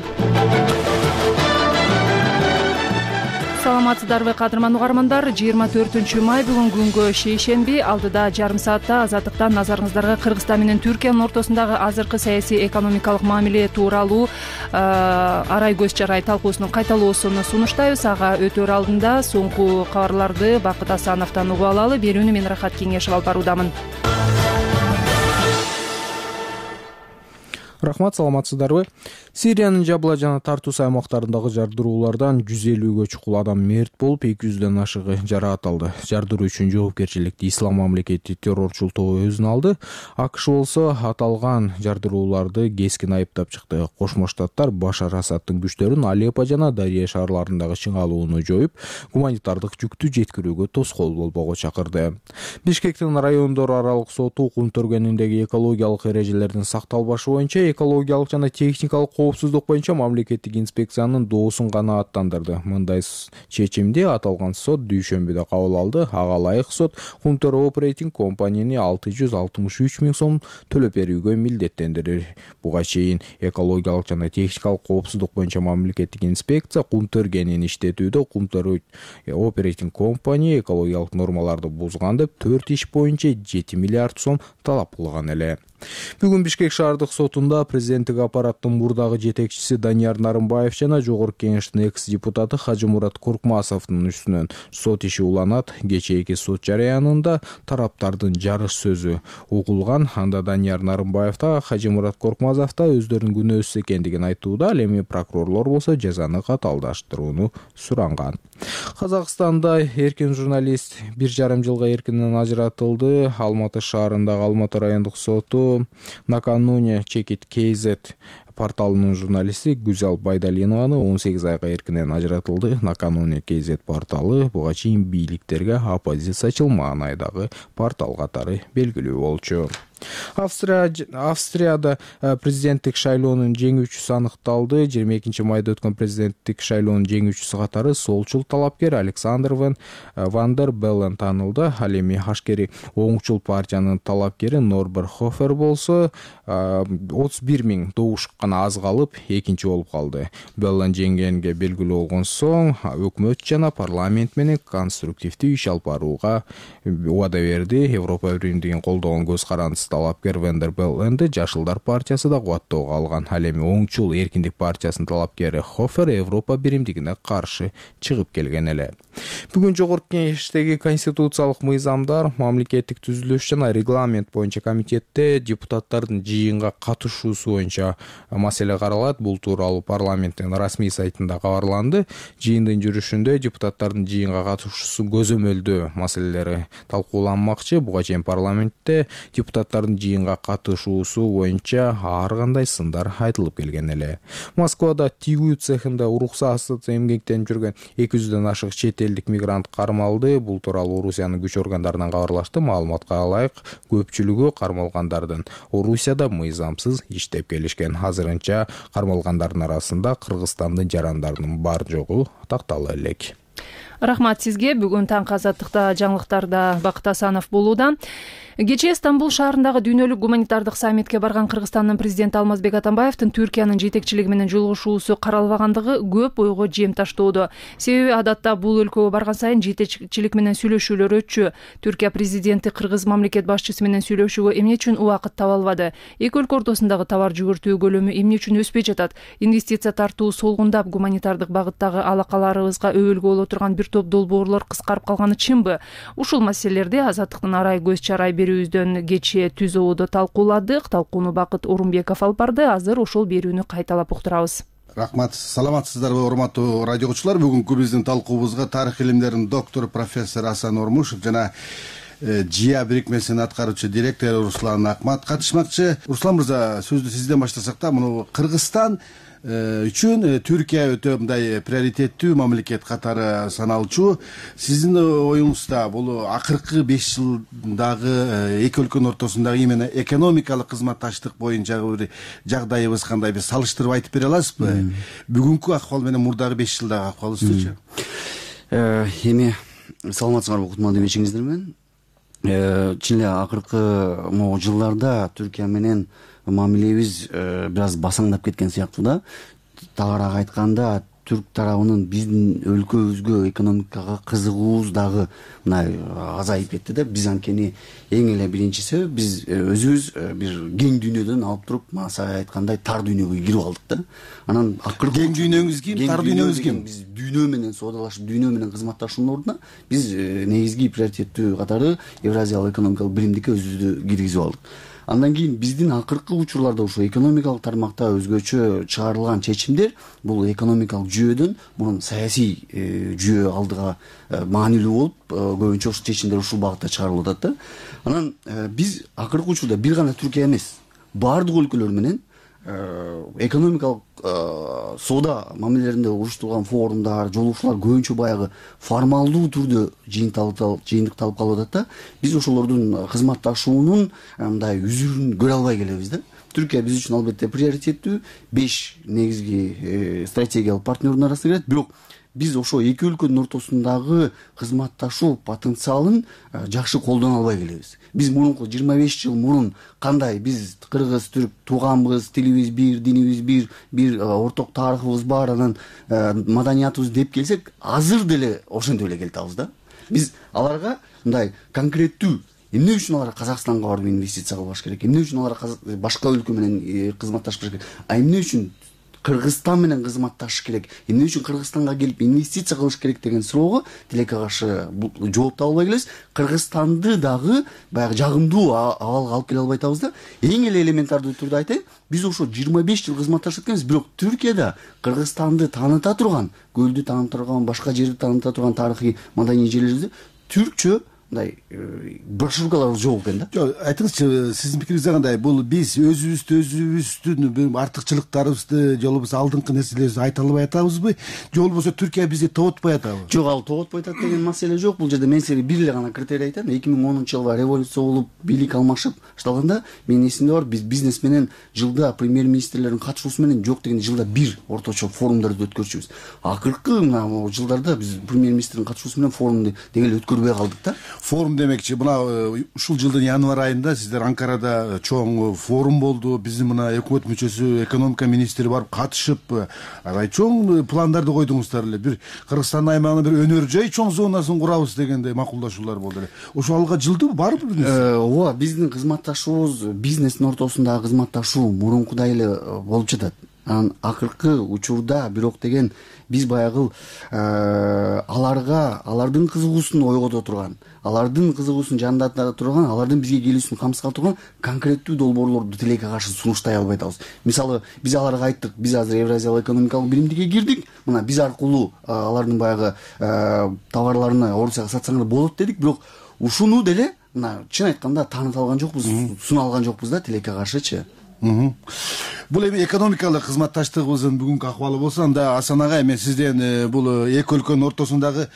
Саламатсыздарбы кадырман угармандар? жыйырма төртүнчү май бүгүн күнгө шейшемби. Алдыда жарым саатта Азаттыктан назарыңыздарга Кыргызстан менен Түркиянын ортосундагы азыркы саясий экономикалык мамиле тууралуу арай көз чарай талкуусунун кайталоосун сунуштайбыз. Ага өтөр алдында соңку кабарларды Бакыт Асановдон угуп алалы. Берүүнү мен Рахат Кеңешова алып баруудамын. Рахмат, саламатсыздарбы? Сириянын Жабла жана Тартус аймактарындагы жардыруулардан жүз элүүгө чукул адам мерт болуп, эки жүздөн ашыгы жараат алды. Жардыруу үчүн жоопкерчиликти Ислам мамлекети террорчул тобу өзүнө алды. АКШ болсо аталган жардырууларды кескин айыптап чыкты. Кошмо Штаттар Башар Асадтын күчтөрүн Алеппо жана Дария шаарларындагы чыңалууну жоюп, гуманитардык жүктү жеткирүүгө тоскоол болбоого чакырды. Бишкектин райондор аралык соту кум төргөнүндөгү экологиялык эрежелердин сакталбашы боюнча экологиялык жана техникалык коопсуздук боюнча мамлекеттик инспекциянын доосун канааттандырды. Мындай чечимди аталган сот дүйшөмбүдө кабыл алды. Ага ылайык сот Кумтөр Оперейтинг компанияны алты жүз алтымыш үч миң сом төлөп берүүгө милдеттендирди. Буга чейин экологиялык жана техникалык коопсуздук боюнча мамлекеттик инспекция Кумтөр кенин иштетүүдө Кумтөр Оперейтинг компания экологиялык нормаларды бузган деп төрт иш боюнча жети миллиард сом талап кылган эле. Бүгүн Бишкек шаардык сотунда президенттик аппараттын мурдагы жетекчиси Данияр Нарымбаев жана Жогорку Кеңештин экс-депутаты Хажымурат Коркмасовдун үстүнөн сот иши уланат. Кечээки сот жарыянында тараптардын жарыш сөзү угулган. Анда Данияр Нарымбаев да Хажымурат Коркмасов да өздөрүнүн күнөөсүз экендигин айтууда. Ал эми прокурорлор болсо жазаны катаалдаштырууну суранган. Казакстанда эркин журналист бир жарым жылга эркинен ажыратылды. Алматы шаарындагы Алматы райондук соту накануне Чекит кей зет порталынын журналисти Гүзал Байдалинованы он сегиз айга эркинен ажыратылды. Накануне кей зет порталы буга чейин бийликтерге оппозициячыл маанайдагы портал катары белгилүү болчу. Австрия Австрияда президенттик шайлоонун жеңүүчүсү аныкталды. жыйырма экинчи майда өткөн президенттик шайлоонун жеңүүчүсү катары солчул талапкер Александр Ван Вандер Беллен танылды. Ал эми ашкери оңчул партиянын талапкери Норберт Хофер болсо отуз бир миң добуш гана аз калып экинчи болуп калды. Беллен жеңгенге белгилүү болгон соң өкмөт жана парламент менен конструктивдүү иш алып барууга убада берди. Европа биримдигин колдогон көз карандысы талапкер Вандер Белленди Жашылдар партиясы да кубаттоого алган. Ал эми оңчул эркиндик партиясынын талапкери Хофер Европа биримдигине каршы чыгып келген эле. Бүгүн Жогорку Кеңештеги конституциялык мыйзамдар, мамлекеттик түзүлүш жана регламент боюнча комитетте депутаттардын жыйынга катышуусу боюнча маселе каралат. Бул тууралуу парламенттин расмий сайтында кабарланды. Жыйындын жүрүшүндө депутаттардын жыйынга катышуусу көзөмөлдөө маселелери талкууланмакчы. Буга чейин парламентте депутаттардын жыйынга катышуусу боюнча ар кандай сындар айтылып келген эле. Москвада тигүү цехинде уруксатсыз эмгектенип жүргөн эки жүздөн ашык чет элдик мигрант кармалды. Бул тууралуу Орусиянын күч органдарынан кабарлашты. Маалыматка ылайык, көпчүлүгү кармалгандардын Орусияда мыйзамсыз иштеп келишкен. Азырынча кармалгандардын арасында Кыргызстандын жарандарынын бар жогу тактала элек. Рахмат сизге. Бүгүн таңкы Азаттыкта жаңылыктарда Бакыт Асанов болууда. Кечээ Стамбул шаарындагы дүйнөлүк гуманитардык саммитке барган Кыргызстандын президенти Алмазбек Атамбаевдин Түркиянын жетекчилиги менен жолугушуусу каралбагандыгы көп ойго жем таштоодо. Себеби адатта бул өлкөгө барган сайын жетекчилик менен сүйлөшүүлөр өтчү. Түркия президенти кыргыз мамлекет башчысы менен сүйлөшүүгө эмне үчүн убакыт таба албады? Эки өлкө ортосундагы товар жүгүртүү көлөмү эмне үчүн өспөй жатат? Инвестиция тартуу солгундап, гуманитардык багыттагы алакаларыбызга өбөлгө боло турган бир топ долбоорлор кыскарып калганы чынбы? Ушул маселелерди Азаттыктын арай көз чарай берүүбүздөн кечээ түз ободо талкууладык. Талкууну Бакыт Орунбеков алып барды. Азыр ошол берүүнү кайталап уктурабыз. Рахмат, саламатсыздарбы урматтуу радиогучулар. Бүгүнкү биздин талкуубузга тарых илимдеринин доктору профессор Асан Ормушев жана ЖИА бирикмесинин аткаруучу директору Руслан Акмат катышмакчы. Руслан мырза, сөздү сизден баштасак да, муну Кыргызстан үчүн Түркия өтө мындай приоритеттүү мамлекет катары саналчу. Сиздин оюңузда бул акыркы беш жылдагы эки өлкөнүн ортосундагы именно экономикалык кызматташтык боюнчагы бир жагдайыбыз кандай, биз салыштырып айтып бере аласызбы? Бүгүнкү акыбал менен мурдагы беш жылдагы акыбалыбызчы? Эми саламатсыңарбы кутмандуу эмечиңиздер менен? Чын эле акыркы могу жылдарда Түркия менен мамилебиз бир аз басаңдап кеткен сыяктуу да. Тагыраак айтканда, түрк тарабынын биздин өлкөбүзгө экономикага кызыгуубуз дагы мындай азайып кетти да. Биз анткени эң эле биринчи себеп биз өзүбүз бир кең дүйнөдөн алып туруп, маса айткандай тар дүйнөгө кирип алдык да. Анан акыркы кең дүйнөңүз ким, тар дүйнөңүз ким? Биз дүйнө менен соодалашып, дүйнө менен кызматташуунун ордуна биз негизги приоритеттүү катары Евразиялык экономикалык биримдикке өзүбүздү киргизип алдык. Андан кийин биздин акыркы учурларда ушул экономикалык тармакта өзгөчө чыгарылган чечимдер бул экономикалык жүйөдөн мурун саясий жүйө алдыга маанилүү болуп, көбүнчө ушул чечимдер ушул багытта чыгарылып атат да. Анан биз акыркы учурда бир гана Түркия эмес, баардык өлкөлөр менен экономикалык соода мамилелеринде уруштурулган форумдар, жолугушуулар көбүнчө баягы формалдуу түрдө жыйынтыкталып калып атат да. Биз ошолордун кызматташуунун мындай үзүрүн көрө албай келебиз да. Түркия биз үчүн албетте приоритеттүү, беш негизги стратегиялык партнердун арасына кирет, бирок биз ошо эки өлкөнүн ортосундагы кызматташуу потенциалын жакшы колдоно албай келебиз. Биз мурунку жыйырма беш жыл мурун кандай биз кыргыз, түрк тууганбыз, тилибиз бир, динибиз бир, бир орток тарыхыбыз бар, анан маданиятыбыз деп келсек, азыр деле ошентип эле келатабыз да. Биз аларга мындай конкреттүү эмне үчүн алар Казакстанга барып инвестиция кылбаш керек, эмне үчүн алар башка өлкө менен кызматташыш керек, а эмне үчүн Кыргызстан менен кызматташыш керек, эмне үчүн Кыргызстанга келип инвестиция кылыш керек деген суроого тилекке каршы жооп таба албай келебиз. Кыргызстанды дагы баягы жагымдуу абалга алып келе албай атабыз да. Эң эле элементардуу түрдө айтайын, биз ошо жыйырма беш жыл кызматташып кеткенбиз, бирок Түркияда Кыргызстанды тааныта турган, көлдү тааныта турган, башка жерди тааныта турган тарыхый маданий жерлерибизде түркчө мындай брошюркалар жок экен да. Жок, айтыңызчы, сиздин пикириңизде кандай? Бул биз өзүбүздү өзүбүздүн артыкчылыктарыбызды, жолубуз алдыңкы нерселерибизди айта албай атабызбы? Же болбосо Түркия бизди тоотпой атабы? Жок, ал тоотпой атат деген маселе жок. Бул жерде мен силерге бир эле гана критерий айтам. эки миң онунчу жылы революция болуп, бийлик алмашып башталганда, менин эсимде бар, биз бизнес менен жылда премьер-министрлердин катышуусу менен жок дегенде жылда бир орточо форумдарды өткөрчүбүз. Акыркы мына жылдарда биз премьер-министрдин катышуусу менен форумду дегеле өткөрбөй калдык да. Форум демекчи, мына ушул жылдын январь айында сиздер Анкарада чоң форум болду. Биздин мына өкмөт мүчөсү, экономика министри барып катышып, аябай чоң пландарды койдуңуздар эле. Бир Кыргызстандын аймагына бир өнөр жай чоң зонасын курабыз дегенде макулдашуулар болду эле. Ошо алга жылдыбы, барбы бир нерсе? Ооба, биздин кызматташуубуз, бизнестин ортосундагы кызматташуу мурункудай эле болуп жатат. Анан акыркы учурда бирок деген биз баягы аларга, алардын кызыгуусун ойгото турган, алардын кызыгуусун жандата турган, алардын бизге келүүсүн камсыз турган конкреттүү долбоорлорду тилекке каршы сунуштай албай атабыз. Мисалы, биз аларга айттык, биз азыр Евразиялык экономикалык биримдикке кирдик, мына биз аркылуу алардын баягы товарларына Орусияга сатсаңар болот дедик, бирок ушуну деле мына чын айтканда тааныта алган жокпуз, суна алган жокпуз да тилекке каршычы. Бул эми экономикалык кызматташтыгыбыздын бүгүнкү акыбалы болсо, анда Асан агай, мен сизден бул эки өлкөнүн ортосундагы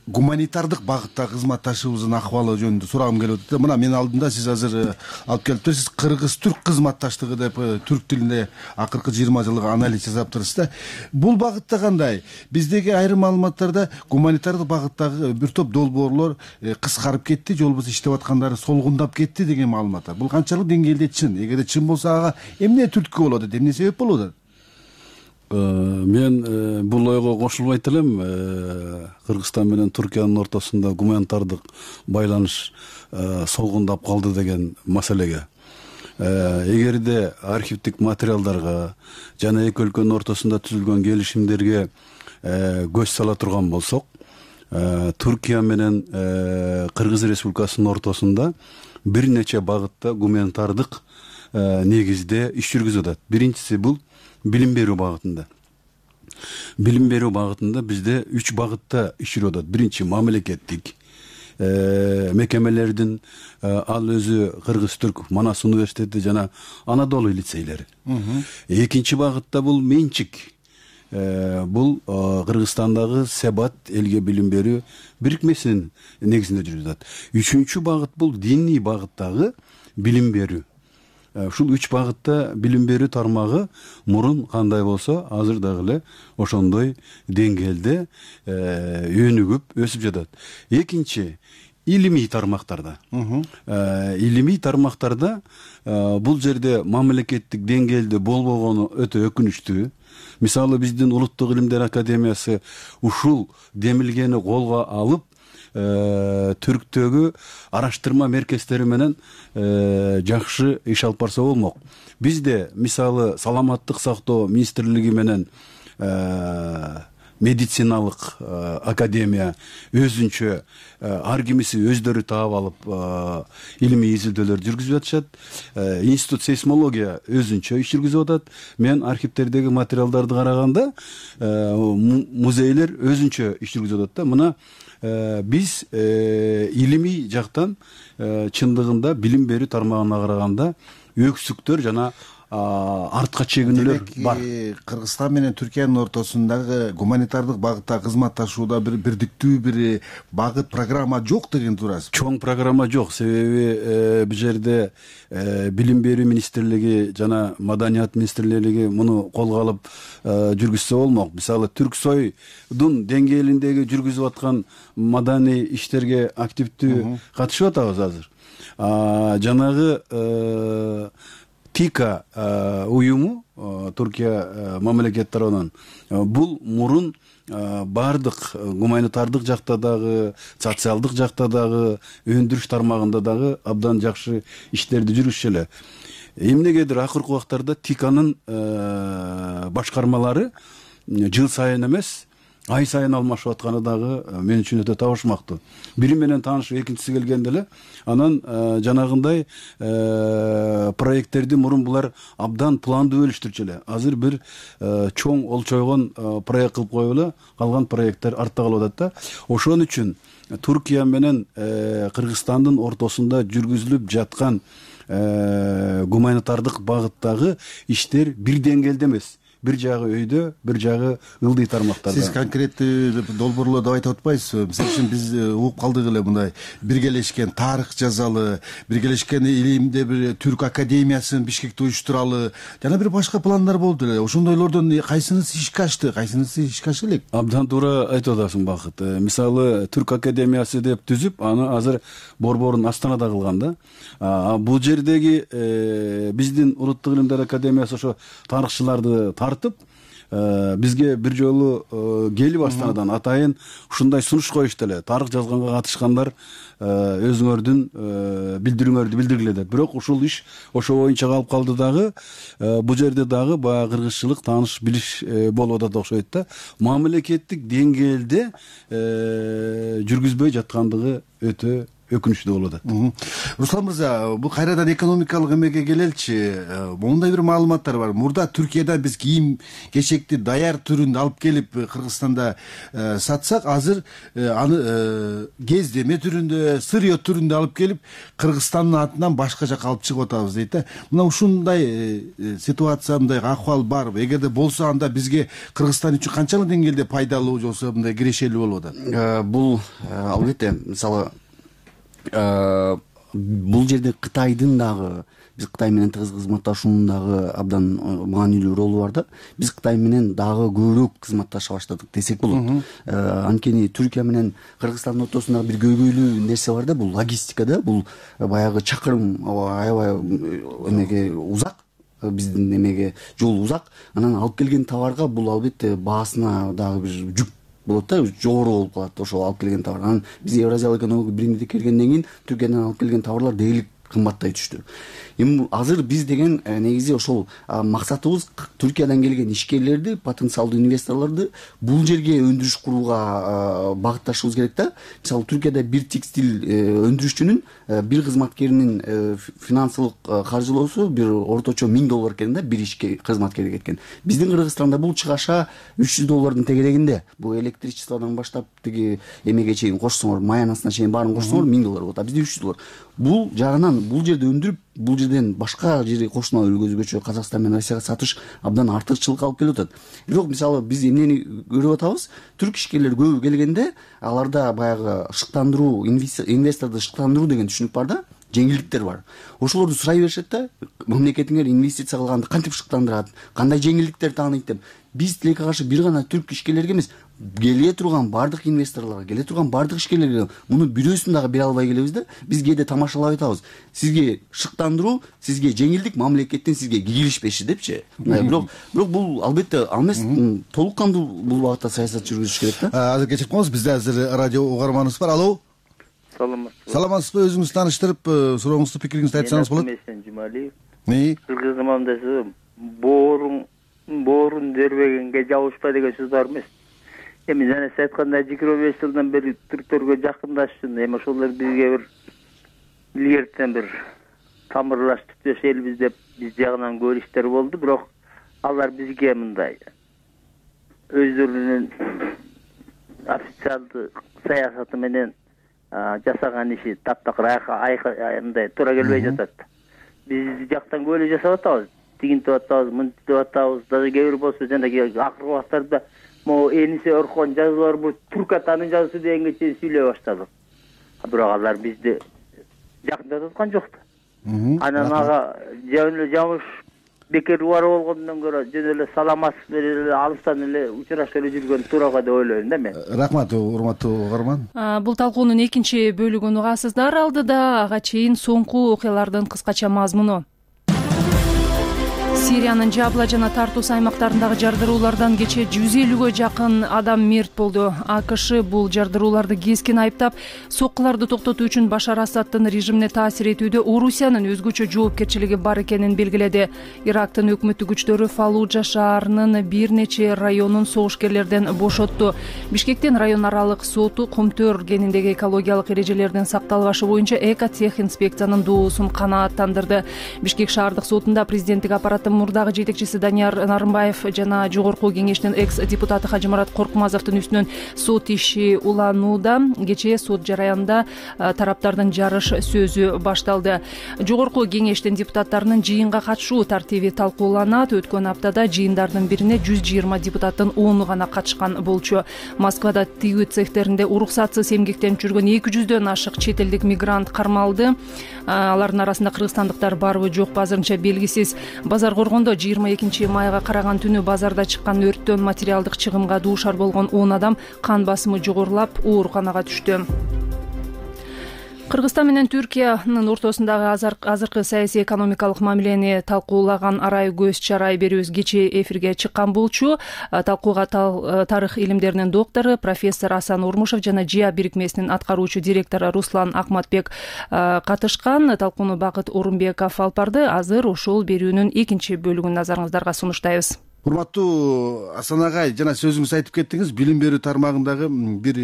гуманитардык багытта кызматташыбыздын акыбалы жөнүндө сурагым келип атат. Мына менин алдымда сиз азыр алып келиптирсиз, кыргыз-түрк кызматташтыгы деп түрк тилинде акыркы жыйырма жылдык анализ жасаптырсыз да. Бул багытта кандай? Биздеги айрым маалыматтарда гуманитардык багыттагы бир топ долбоорлор кыскарып кетти, же болбосо иштеп аткандары солгундап кетти деген маалымат бар. Бул канчалык деңгээлде чын? Эгерде чын болсо ага эмне түрткү болот, эмне себеп болуп атат? Мен бул ойго кошулбайт элем. Кыргызстан менен Түркиянын ортосунда гуманитардык байланыш солгундап калды деген маселеге. Эгерде архивдик материалдарга жана эки өлкөнүн ортосунда түзүлгөн келишимдерге көз сала турган болсок, Түркия менен Кыргыз Республикасынын ортосунда бир нече багытта гуманитардык негизде иш жүргүзүп атат. Биринчиси бул билим берүү багытында. Билим берүү багытында бизде үч багытта иш жүрүп атат. Биринчи мамлекеттик мекемелердин, ал өзү Кыргыз-Түрк Манас университети жана Анадолу лицейлери. Экинчи багытта бул менчик. Бул Кыргызстандагы Себат элге билим берүү бирикмесинин негизинде жүрүп атат. Үчүнчү багыт бул диний багыттагы билим берүү. Ушул үч багытта билим берүү тармагы мурун кандай болсо, азыр дагы эле ошондой деңгээлде өнүгүп өсүп жатат. Экинчи, илимий тармактарда. Илимий тармактарда бул жерде мамлекеттик деңгээлде болбогону өтө өкүнүчтүү. Мисалы, биздин Улуттук илимдер академиясы ушул демилгени колго алып, Түрктөгү араштырма меркездери менен жакшы иш алып барса болмок. Бизде мисалы саламаттык сактоо министрлиги менен медициналык академия өзүнчө ар кимиси өздөрү таап алып илимий изилдөөлөр жүргүзүп атышат. Институт сейсмология өзүнчө иш жүргүзүп атат. Мен архивдердеги материалдарды караганда музейлер өзүнчө иш жүргүзүп атат да. Мына биз илимий жактан чындыгында билим берүү тармагына караганда өксүктөр жана артка чегинүүлөр бар. Кыргызстан менен Түркиянын ортосундагы гуманитардык багытта кызматташууда бир бирдиктүү бир багыт программа жок деген турасыз. Чоң программа жок. Себеби бул жерде билим берүү министрлиги жана маданият министрлиги муну колго алып жүргүзсө болмок. Мисалы, Түрксойдун деңгээлиндеги жүргүзүп аткан маданий иштерге активдүү катышып атабыз азыр. Жанагы ТИКА уюму, Түркия мамлекет тарабынан, бул мурун бардык гуманитардык жакта дагы, социалдык жакта дагы, өндүрүш тармагында дагы абдан жакшы иштерди жүргүзүшө эле. Эмнегедир акыркы убактарда ТИКАнын башкармалары жыл сайын эмес, ай сайын алмашып атканы дагы мен үчүн өтө табышмактуу. Бири менен таанышып, экинчиси келгенде эле анан жанагындай проекттерди мурун булар абдан пландуу бөлүштүрчү эле. Азыр бир чоң олчойгон проект кылып коюп эле калган проекттер артта калып атат да. Ошон үчүн Түркия менен Кыргызстандын ортосунда жүргүзүлүп жаткан гуманитардык багыттагы иштер бир деңгээлде эмес. Бир жагы өйдө, бир жагы ылдый тармактарда. Сиз конкреттүү долбоорлорду айтып атпайсызбы? Мисалы үчүн биз угуп калдык эле мындай биргелешкен тарых жазалы, биргелешкен илимде бир түрк академиясын Бишкекте уюштуралы, жана бир башка пландар болду эле. Ошондойлордон кайсынысы ишке ашты, кайсынысы ишке аша элек? Абдан туура айтып атасың, Бакыт. Мисалы, түрк академиясы деп түзүп, аны азыр борборун Астанада кылган да. Бул жердеги биздин Улуттук илимдер академиясы ошо тарыхчыларды тартып, бизге бир жолу келип Астанадан атайын ушундай сунуш коюшту эле. Тарых жазганга катышкандар өзүңөрдүн билдирүүңөрдү билдиргиле деп. Бирок ушул иш ошо боюнча калып калды дагы. Бул жерде дагы баягы кыргызчылык тааныш билиш болуп атат окшойт да. Мамлекеттик деңгээлде жүргүзбөй жаткандыгы өтө өкүнүчтүү болуп атат. Руслан мырза, бул кайрадан экономикалык эмеге келеличи. Мондай бир маалыматтар бар. Мурда Түркиядан биз кийим кечекти даяр түрүндө алып келип Кыргызстанда сатсак, азыр аны кездеме түрүндө, сырье түрүндө алып келип Кыргызстандын атынан башка жака алып чыгып атабыз дейт да. Мына ушундай ситуация, мындай акыбал барбы? Эгерде болсо, анда бизге Кыргызстан үчүн канчалык деңгээлде пайдалуу болсо, мындай кирешелүү болуп атат? Бул албетте, мисалы, бул жерде Кытайдын дагы, биз Кытай менен тыгыз кызматташуунун дагы абдан маанилүү ролу бар да. Биз Кытай менен дагы көбүрөөк кызматташа баштадык десек болот. Анткени Түркия менен Кыргызстандын ортосунда бир көйгөйлүү нерсе бар да, бул логистика да, бул баягы чакырым аябай эмеге узак. Биздин эмеге жол узак. Анан алып келген товарга бул албетте баасына дагы бир жүк болот да, жогору болуп калат ошол алып келген товар. Анан биз Евразиялык экономикалык биримдикке киргенден кийин Түркиядан алып келген товарлар дээрлик кымбаттай түштү. Эми азыр биз деген негизи ошол максатыбыз Түркиядан келген ишкерлерди, потенциалдуу инвесторлорду бул жерге өндүрүш курууга багытташыбыз керек да. Мисалы, Түркияда бир текстиль өндүрүшчүнүн бир кызматкеринин финансылык каржылоосу бир орточо миң доллар экен да, бир ишке кызматкерге кеткен. Биздин Кыргызстанда бул чыгаша үч жүз доллардын тегерегинде. Бул электричестводон баштап тиги эмеге чейин кошсоңор, маянасына чейин баарын кошсоңор миң доллар болот. А бизде үч жүз доллар. Бул жагынан бул жерде өндүрүп, бул жерден башка жерге кошуна өлкөзгөчө Казакстан менен Россияга сатыш абдан артыкчылык алып келип атат. Бирок мисалы биз эмнени көрүп атабыз? Түрк ишкерлер көбү келгенде аларда баягы шыктандыруу, инвесторду шыктандыруу деген түшүнүк бар да, жеңилдиктер бар. Ошолорду сурай беришет да, мамлекетиңер инвестиция кылганды кантип шыктандырат, кандай жеңилдиктер тааныйт деп. Биз тилекке каршы бир гана түрк ишкерлерге эмес, келе турган бардык инвесторлорго, келе турган бардык ишкерлерге муну бирөөсүн дагы бере албай келебиз да. Биз кээде тамашалап айтабыз. Сизге шыктандыруу, сизге жеңилдик, мамлекеттен сизге кигилишпеши депчи. Бирок бирок бул албетте ал эмес, толук кандуу бул багытта саясат жүргүзүш керек да. Азыр кечирип коңуз, бизде азыр радио угарманыбыз бар. Алло. Саламатсызбы. Саламатсызбы, өзүңүздү тааныштырып, сурооңузду, пикириңизди айтсаңыз болот. Мен Жумалиев. Не? Кыргыз замандасы боорун боорун дербегенге жабышпа деген сөз бар эмес. Эми жана сиз айткандай жыйырма беш жылдан бери түрктөргө жакындашсын, эми ошолор бизге бир илгертен бир тамырлаш түптөш элбиз деп биз жагынан көрүштөр болду, бирок алар бизге мындай өздөрүнүн официалдуу саясаты менен жасаган иши таптакыр мындай туура келбей жатат. Биз жактан көйлө жасап атабыз, тигинтип атабыз, мынтип атабыз, даже кээ бир болсо жанагы акыркы убактарда могу Энисе Орхон жазуулар бул түрк атанын жазуусу дегенге чейин сүйлөй баштадык. Бирок алар бизди жакындатып аткан жок да. Анан ага жөн эле жамыш бекер убара болгондон көрө жөн эле саламатсыз эле алыстан эле учурашып эле жүргөн туурага деп ойлойм да мен. Рахмат, урматтуу угарман. Бул талкуунун экинчи бөлүгүн угасыздар. Алдыда ага чейин соңку окуялардын кыскача мазмуну. Сириянын Жабла жана Тартус аймактарындагы жардыруулардан кечээ жүз элүүгө жакын адам мерт болду. АКШ бул жардырууларды кескин айыптап, соккуларды токтотуу үчүн Башар Асаддын режимине таасир этүүдө Орусиянын өзгөчө жоопкерчилиги бар экенин белгиледи. Ирактын өкмөттүк күчтөрү Фаллужа шаарынын бир нече районун согушкерлерден бошотту. Бишкектин район аралык соту Кумтөр кениндеги экологиялык эрежелердин сакталбашы боюнча эко-тех инспекциянын доосун канааттандырды. Бишкек шаардык сотунда президенттик аппараттын мурдагы жетекчиси Данияр Нарымбаев жана жогорку кеңештин экс-депутаты Хажымарат Коркмазовдун үстүнөн сот иши уланууда. Кечээ сот жараянында тараптардын жарыш сөзү башталды. Жогорку кеңештин депутаттарынын жыйынга катышуу тартиби талкууланат. Өткөн аптада жыйындардын бирине жүз жыйырма депутаттын ону гана катышкан болчу. Москвада тигүү цехтеринде уруксатсыз эмгектенип жүргөн эки жүздөн ашык чет элдик мигрант кармалды. Алардын арасында кыргызстандыктар барбы жокпу азырынча белгисиз. Базар Коргондо жыйырма экинчи майга караган түнү базарда чыккан өрттөн материалдык чыгымга дуушар болгон он адам кан басымы жогорулап ооруканага түштү. Кыргызстан менен Түркиянын ортосундагы азыркы саясий экономикалык мамилени талкуулаган арай көз чарай берүүбүз кечээ эфирге чыккан болчу. Талкууга тарых илимдеринин доктору профессор Асан Ормушев жана ЖИА бирикмесинин аткаруучу директору Руслан Акматбек катышкан. Талкууну Бакыт Орунбеков алып барды. Азыр ошол берүүнүн экинчи бөлүгүн назарыңыздарга сунуштайбыз. урматтуу Асан агай, жана сөзүңүз айтып кеттиңиз, билим берүү тармагындагы бир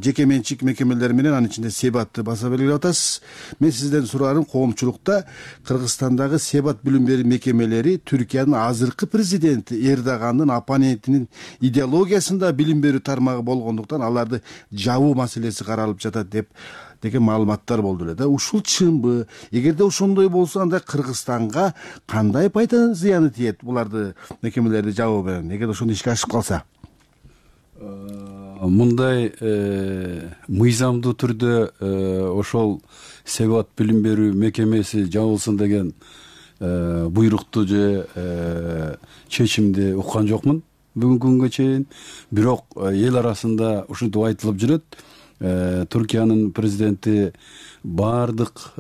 жеке менчик мекемелер менен, анын ичинде Себатты баса белгилеп атасыз. Мен сизден сураарым, коомчулукта Кыргызстандагы Себат билим берүү мекемелери Түркиянын азыркы президенти Эрдогандын оппонентинин идеологиясында билим берүү тармагы болгондуктан аларды жабуу маселеси каралып жатат деп деген маалыматтар болду эле да. Ушул чынбы? Эгерде ошондой болсо, анда Кыргызстанга кандай пайда зыяны тиет буларды мекемелерди жабуу менен, эгер ошондо ишке ашып калса? Мындай мыйзамдуу түрдө ошол Себат билим берүү мекемеси жабылсын деген буйрукту же чечимди уккан жокмун бүгүнкү күнгө чейин. Бирок эл арасында ушинтип айтылып жүрөт. Түркиянын президенти баардык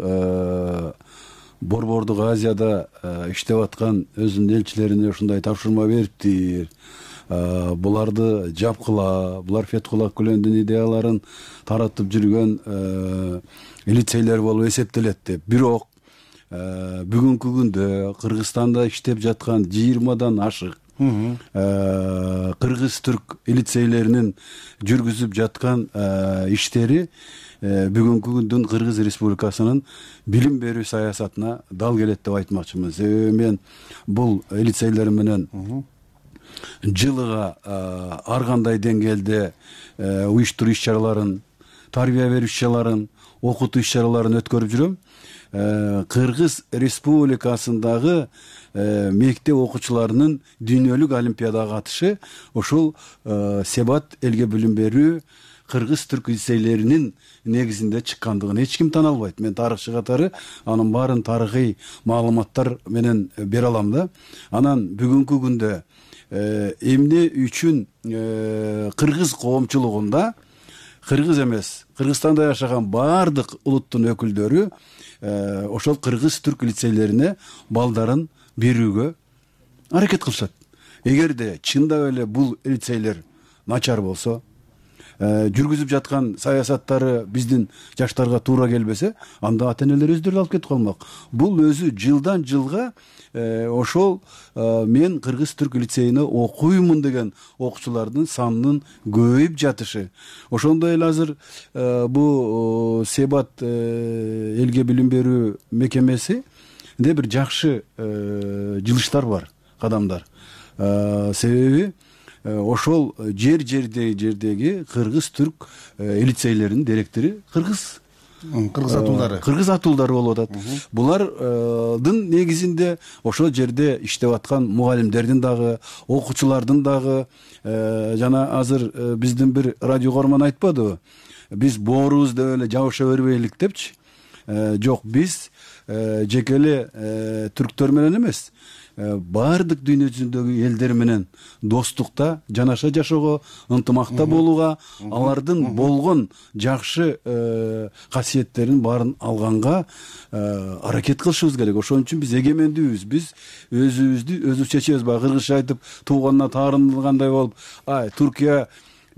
Борбордук Азияда иштеп аткан өзүнүн элчилерине ушундай тапшырма бериптир. Буларды жапкыла, булар Фетхулла Гүлөндүн идеяларын таратып жүргөн лицейлер болуп эсептелет деп. Бирок бүгүнкү күндө Кыргызстанда иштеп жаткан жыйырмадан ашык кыргыз-түрк лицейлеринин жүргүзүп жаткан иштери бүгүнкү күндүн Кыргыз Республикасынын билим берүү саясатына дал келет деп айтмакчымын. Себеби мен бул лицейлер менен жылыга ар кандай деңгээлде уюштуруу иш-чараларын, тарбия берүү иш-чараларын, окутуу иш-чараларын өткөрүп жүрөм. Кыргыз Республикасындагы мектеп окуучуларынын дүйнөлүк олимпиадага катышы ошол Себат элге билим берүү кыргыз-түрк лицейлеринин негизинде чыккандыгын эч ким тана албайт. Мен тарыхчы катары анын баарын тарыхый маалыматтар менен бере алам да. Анан бүгүнкү күндө эмне үчүн кыргыз коомчулугунда, кыргыз эмес, Кыргызстанда жашаган баардык улуттун өкүлдөрү ошол кыргыз-түрк лицейлерине балдарын берүүгө аракет кылышат. Эгерде чындап эле бул лицейлер начар болсо, жүргүзүп жаткан саясаттары биздин жаштарга туура келбесе, анда ата-энелер өздөрү алып кетип калмак. Бул өзү жылдан жылга ошол мен кыргыз-түрк лицейине окуймун деген окуучулардын санынын көбөйүп жатышы. Ошондой эле азыр бул Себат элге билим берүү мекемеси де бир жакшы жылыштар бар, кадамдар. Себеби ошол жер жердеги жердеги кыргыз-түрк лицейлеринин директору кыргыз кыргыз атуулдары кыргыз атуулдары болуп атат. Булардын негизинде ошол жерде иштеп аткан мугалимдердин дагы, окуучулардын дагы, жана азыр биздин бир радио көрмөн айтпадыбы, биз боорубуз деп эле жабыша бербейлик депчи. Жок, биз жеке эле түрктөр менен эмес, баардык дүйнө жүзүндөгү элдер менен достукта, жанаша жашоого, ынтымакта болууга, алардын болгон жакшы касиеттерин баарын алганга аракет кылышыбыз керек. Ошон үчүн биз эгемендүүбүз. Биз өзүбүздү өзүбүз чечебиз. Баягы кыргызча айтып, тууганына таарынылгандай болуп, ай, Түркия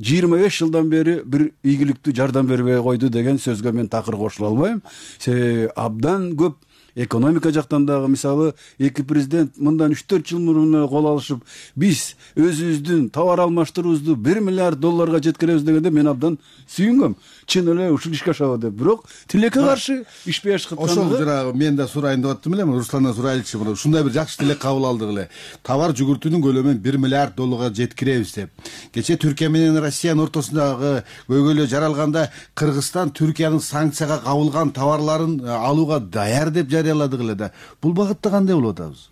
жыйырма беш жылдан бери бир ийгиликтүү жардам бербей койду деген сөзгө мен такыр кошула албайм. Себеби абдан көп экономика жактан дагы, мисалы, эки президент мындан үч төрт жыл мурун кол алышып, биз өзүбүздүн товар алмаштыруубузду бир миллиард долларга жеткиребиз дегенде мен абдан сүйүнгөм. Чын эле ушул ишке ашабы деп. Бирок тилекке каршы ишпей ашкыткан. Ошол жанагы мен да сурайын деп аттым эле, Русландан сурайлычы, мына ушундай бир жакшы тилек кабыл алдык эле. Товар жүгүртүүнүн көлөмүн бир миллиард долларга жеткиребиз деп. Кече Түркия менен Россиянын ортосундагы көйгөйлөр жаралганда Кыргызстан Түркиянын санкцияга кабылган товарларын алууга даяр деп жарыяладык эле да. Бул багытта кандай болуп атабыз?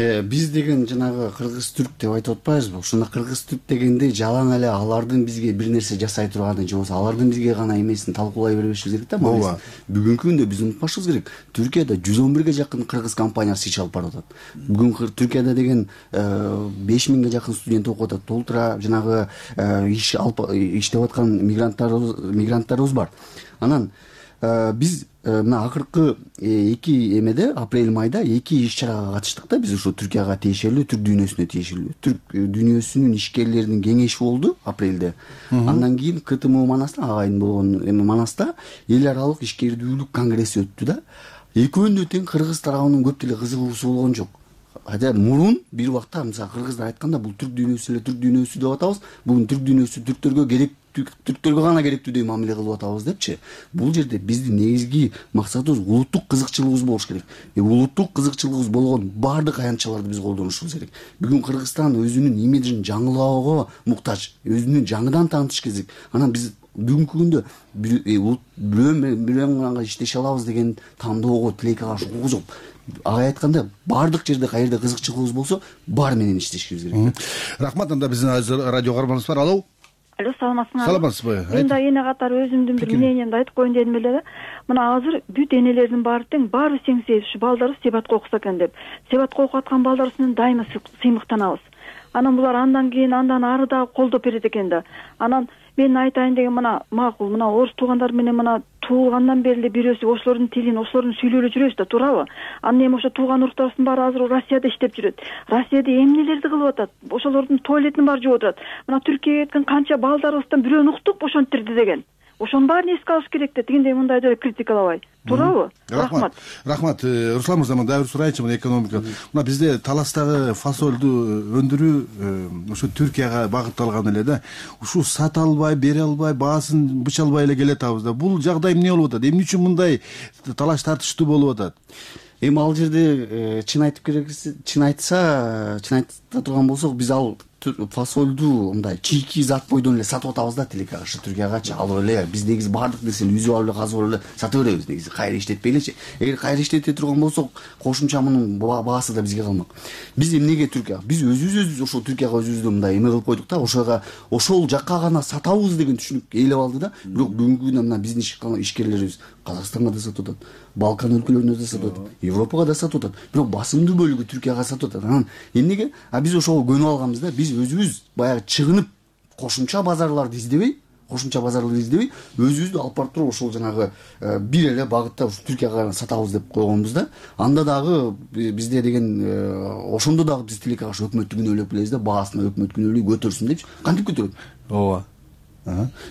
Биз деген жанагы кыргыз-түрк деп айтып атпайбызбы? Ушуна кыргыз-түрк дегенде жалаң эле алардын бизге бир нерсе жасай турганын же болбосо алардын бизге гана эмесин талкуулай бербешибиз керек да. Ооба. Бүгүнкү күндө биз унутпашыбыз керек. Түркияда жүз он бирге жакын кыргыз компаниясы иш алып барып атат. Бүгүн Түркияда деген беш миңге жакын студент окуп атат. Толтура жанагы иш алып иштеп аткан мигранттарыбыз мигранттарыбыз бар. Анан биз мына акыркы эки эмеде апрель майда эки иш чарага катыштык да. Биз ушу Түркияга тиешелүү, түрк дүйнөсүнө тиешелүү. Түрк дүйнөсүнүн ишкерлеринин кеңеши болду апрелде. Андан кийин КТМ Манаста, агайын болгон эме Манаста эл аралык ишкердүүлүк конгресси өттү да. Экөөнүнө тең кыргыз тарабынын көп деле кызыгуусу болгон жок. хотя мурун бир убакта мисалы кыргыздар айтканда бул түрк дүйнөсү эле түрк дүйнөсү деп атабыз, бүгүн түрк дүйнөсү түрктөргө керек, түрктөргө гана керектүү мамиле кылып атабыз депчи. Бул жерде биздин негизги максатыбыз улуттук кызыкчылыгыбыз болуш керек. Улуттук кызыкчылыгыбыз болгон баардык аянтчаларды биз колдонушубуз керек. Бүгүн Кыргызстан өзүнүн имиджин жаңылоого муктаж, өзүнүн жаңыдан таанытыш керек. Анан биз бүгүнкү күндө бирөө менен иштеше алабыз деген тандоого, тилекке каршы укугубуз жок. Ага айтканда баардык жерде каерде кызыкчылыгыбыз болсо, бар менен иштешибиз керек. Рахмат. Анда биздин радио каарманыбыз бар. Алло. Алло, саламатсыңарбы? Саламатсызбы? Мен да эне катары өзүмдүн бир мнениемди айтып коеюн дедим эле да. Мына азыр бүт энелердин баары тең, баары тең себеп ушу балдары себатка окуса экен деп. Себатка окуп аткан балдар үстүнөн дайыма сыймыктанабыз. Анан булар андан кийин андан ары дагы колдоп берет экен да. Анан мен айтайын деген мына макул, мына орус туугандар менен мына туулгандан бери эле бирөөсү ошолордун тилин, ошолордун сүйлөп эле жүрөбүз да, туурабы? Анан эми ошо тууган уруктарыбыздын баары азыр Россияда иштеп жүрөт. Россияда эмнелерди кылып атат? Ошолордун туалетин баары жууп отурат. Мына Түркияга кеткен канча балдарыбыздан бирөөнү уктуп ошентирди деген. Ошонун баарын эске алыш керек да, тигиндей мындай деп критикалабай. Туурабы? Рахмат. Рахмат. Руслан мырза, мына дагы бир сурайынчы, мына экономика. Мына бизде таластагы фасолду өндүрүү ошо Түркияга багытталган эле да. Ушу сата албай, бере албай, баасын быча албай эле келатабыз да. Бул жагдай эмне болуп атат? Эмне үчүн мындай талаш тартыштуу болуп атат? Эми ал жерде чын айтып керексе, чын айтса, чын айта турган болсок, биз ал фасолду мындай чийки зат бойдон эле сатып атабыз да, тилекке каршы Түркиягачы алып эле биз негизи баардык нерсени үзүп алып эле казып алып эле сата беребиз негизи, кайра иштетпей элечи. Эгер кайра иштете турган болсок, кошумча мунун баасы да бизге калмак. Биз эмнеге Түркияга? Биз өзүбүз ошол Түркияга өзүбүздү мындай эме кылып койдук да, ошого ошол жакка гана сатабыз деген түшүнүк ээлеп алды да. Бирок бүгүнкү күндө мына биздин ишкерлерибиз Казакстанга да сатып атат, Балкан өлкөлөрүнө да сатып атат, Европага да сатып атат. Бирок басымдуу бөлүгү Түркияга сатып атат. Анан эмнеге? А биз ошого көнүп алганбыз да. Биз өзүбүз баягы чыгынып кошумча базарларды издебей, кошумча базарларды издебей, өзүбүздү алып барып туруп ошол жанагы бир эле багытта ушу Түркияга сатабыз деп койгонбуз да. Анда дагы бизде деген ошондо дагы биз тилекке каршы өкмөттү күнөөлөп келебиз да, баасына өкмөт күнөөлөй көтөрсүн депчи. Кантип көтөрөт? Ооба.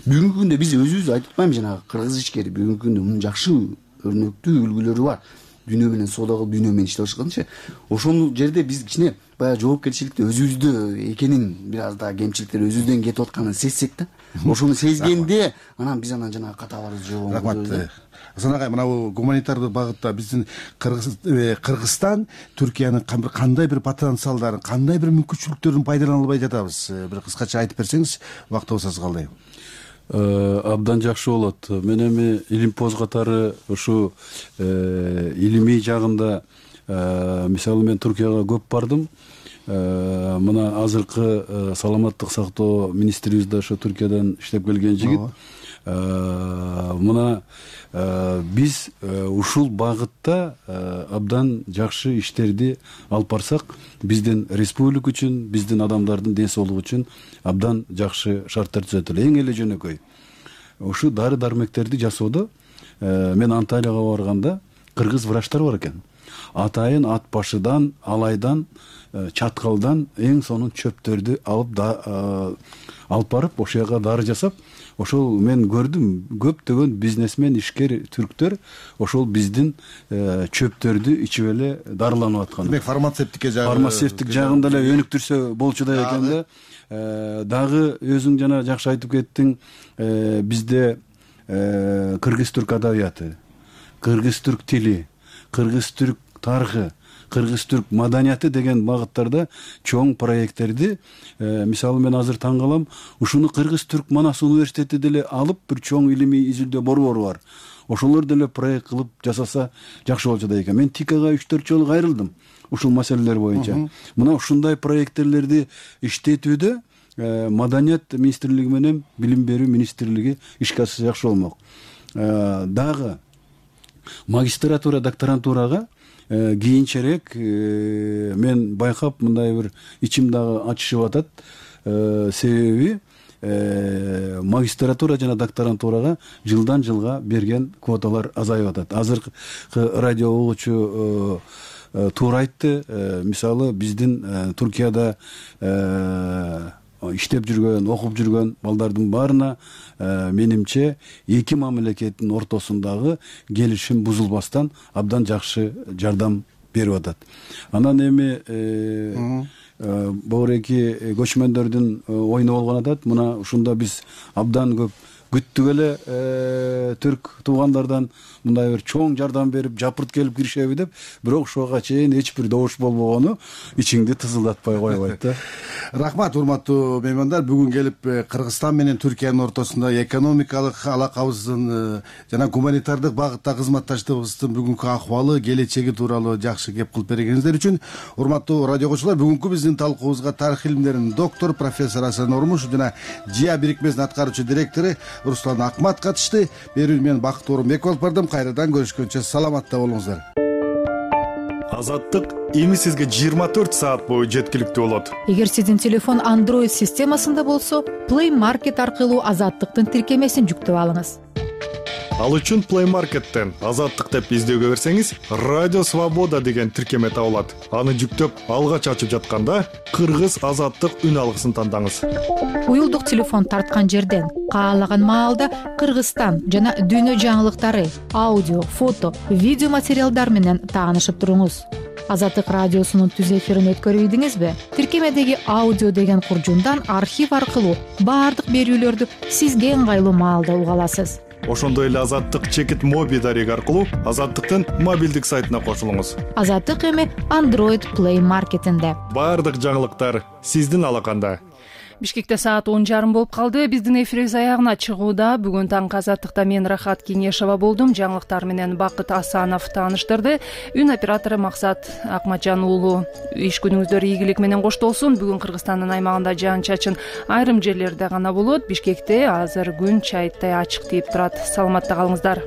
Бүгүнкү күндө биз өзүбүз айтып атпаймынбы, жанагы кыргыз ишкери бүгүнкү күндө мунун жакшы өрнөктүү үлгүлөрү бар. Дүйнө менен соода кылып, дүйнө менен иштеп жатканчы. Ошол жерде биз кичине баягы жоопкерчиликти өзүбүздө экенин, бир аз да кемчиликтер өзүбүздөн кетип атканын сезсек да. Ошону сезгенде анан биз анан жанагы каталарды жообун. Рахмат. Асан агай, мына бул гуманитардык багытта биздин Кыргызстан Түркиянын кандай бир потенциалдарын, кандай бир мүмкүнчүлүктөрүн пайдалана албай жатабыз? Бир кыскача айтып берсеңиз, убактыбыз аз калды. Абдан жакшы болот. Мен эми илимпоз катары ушу илимий жагында, мисалы мен Түркияга көп бардым. Мына азыркы саламаттык сактоо министрибиз да ошо Түркиядан иштеп келген жигит. Мына биз ушул багытта абдан жакшы иштерди алып барсак, биздин республика үчүн, биздин адамдардын ден соолугу үчүн абдан жакшы шарттар түзөт эле. Эң эле жөнөкөй ушу дары дармектерди жасоодо мен Анталияга барганда кыргыз врачтар бар экен. Атайын ат башыдан, алайдан, чаткалдан эң сонун чөптөрдү алып алып барып ошол жака дары жасап, ошол мен көрдүм, көптөгөн бизнесмен, ишкер түрктөр ошол биздин чөптөрдү ичип эле дарыланып аткан. Демек фармацевтикке жагы фармацевтик жагында эле өнүктүрсө болчу да экен да. Дагы өзүң жана жакшы айтып кеттиң, бизде кыргыз-түрк адабияты, кыргыз-түрк тили, кыргыз-түрк тарыхы, кыргыз-түрк маданияты деген багыттарда чоң проекттерди, мисалы мен азыр таң калам, ушуну Кыргыз-түрк Манас университети деле алып, бир чоң илимий изилдөө борбору бар. Ошолор деле проект кылып жасаса жакшы болчу да экен. Мен ТИКага үч төрт жолу кайрылдым ушул маселелер боюнча. Мына ушундай проекттерлерди иштетүүдө Маданият министрлиги менен Билим берүү министрлиги ишке ашса жакшы болмок. Дагы магистратура, докторантурага кийинчерээк мен байкап мындай бир ичим дагы ачышып атат. Себеби магистратура жана докторантурага жылдан жылга берген квоталар азайып атат. Азыркы радио угуучу туура айтты. Мисалы биздин Түркияда иштеп жүргөн, окуп жүргөн балдардын баарына менимче эки мамлекеттин ортосундагы келишим бузулбастан абдан жакшы жардам берип атат. Анан эми богуреки көчмөндөрдүн оюну болгон атат. Мына ушунда биз абдан көп күттүк эле түрк туугандардан мындай бир чоң жардам берип жапырт келип киришеби деп, бирок ушуга чейин эч бир добуш болбогону ичиңди тызылдатпай койбойт да. Рахмат, урматтуу меймандар. Бүгүн келип Кыргызстан менен Түркиянын ортосунда экономикалык алакабыздын жана гуманитардык багытта кызматташтыгыбыздын бүгүнкү акыбалы, келечеги тууралуу жакшы кеп кылып бергениңиздер үчүн урматтуу радио окуучулар, бүгүнкү биздин талкуубузга тарых илимдеринин доктор профессор Асан Ормушев жана ЖИА бирикмесинин аткаруучу директору Руслан Акмат катышты. Берүүнү мен Бакыт Оорунбеков алып бардым. Кайрадан көрүшкөнчө саламатта болуңуздар. Азаттык эми сизге жыйырма төрт саат бою жеткиликтүү болот. Эгер сиздин телефон Android системасында болсо, Play Market аркылуу Азаттыктын тиркемесин жүктөп алыңыз. Ал үчүн Play Market'тен Азаттык деп издөөгө берсеңиз, Радио Свобода деген тиркеме табылат. Аны жүктөп, алгач ачып жатканда Кыргыз Азаттык үн алгысын тандаңыз. Уюлдук телефон тарткан жерден каалаган маалда Кыргызстан жана дүйнө жаңылыктары, аудио, фото, видео материалдар менен таанышып туруңуз. Азаттык радиосунун түз эфирин өткөрүп ийдиңизби? Тиркемедеги аудио деген куржундан архив аркылуу баардык берүүлөрдү сизге ыңгайлуу маалда уга аласыз. Ошондой эле Азаттык чекит моби дареги аркылуу Азаттыктын мобилдик сайтына кошулуңуз. Азаттык эми Android Play Market'инде. Баардык жаңылыктар сиздин алаканда. Бишкекте саат он жарым болуп калды. Биздин эфирибиз аягына чыгууда. Бүгүн таңкы Азаттыкта мен Рахат Кеңешова болдум. Жаңылыктар менен Бакыт Асанов тааныштырды. Үн оператору Максат Акматжан уулу. Иш күнүңүздөр ийгилик менен коштолсун. Бүгүн Кыргызстандын аймагында жаан чачын айрым жерлерде гана болот. Бишкекте азыр күн чайыттай ачык тийип турат. Саламатта калыңыздар.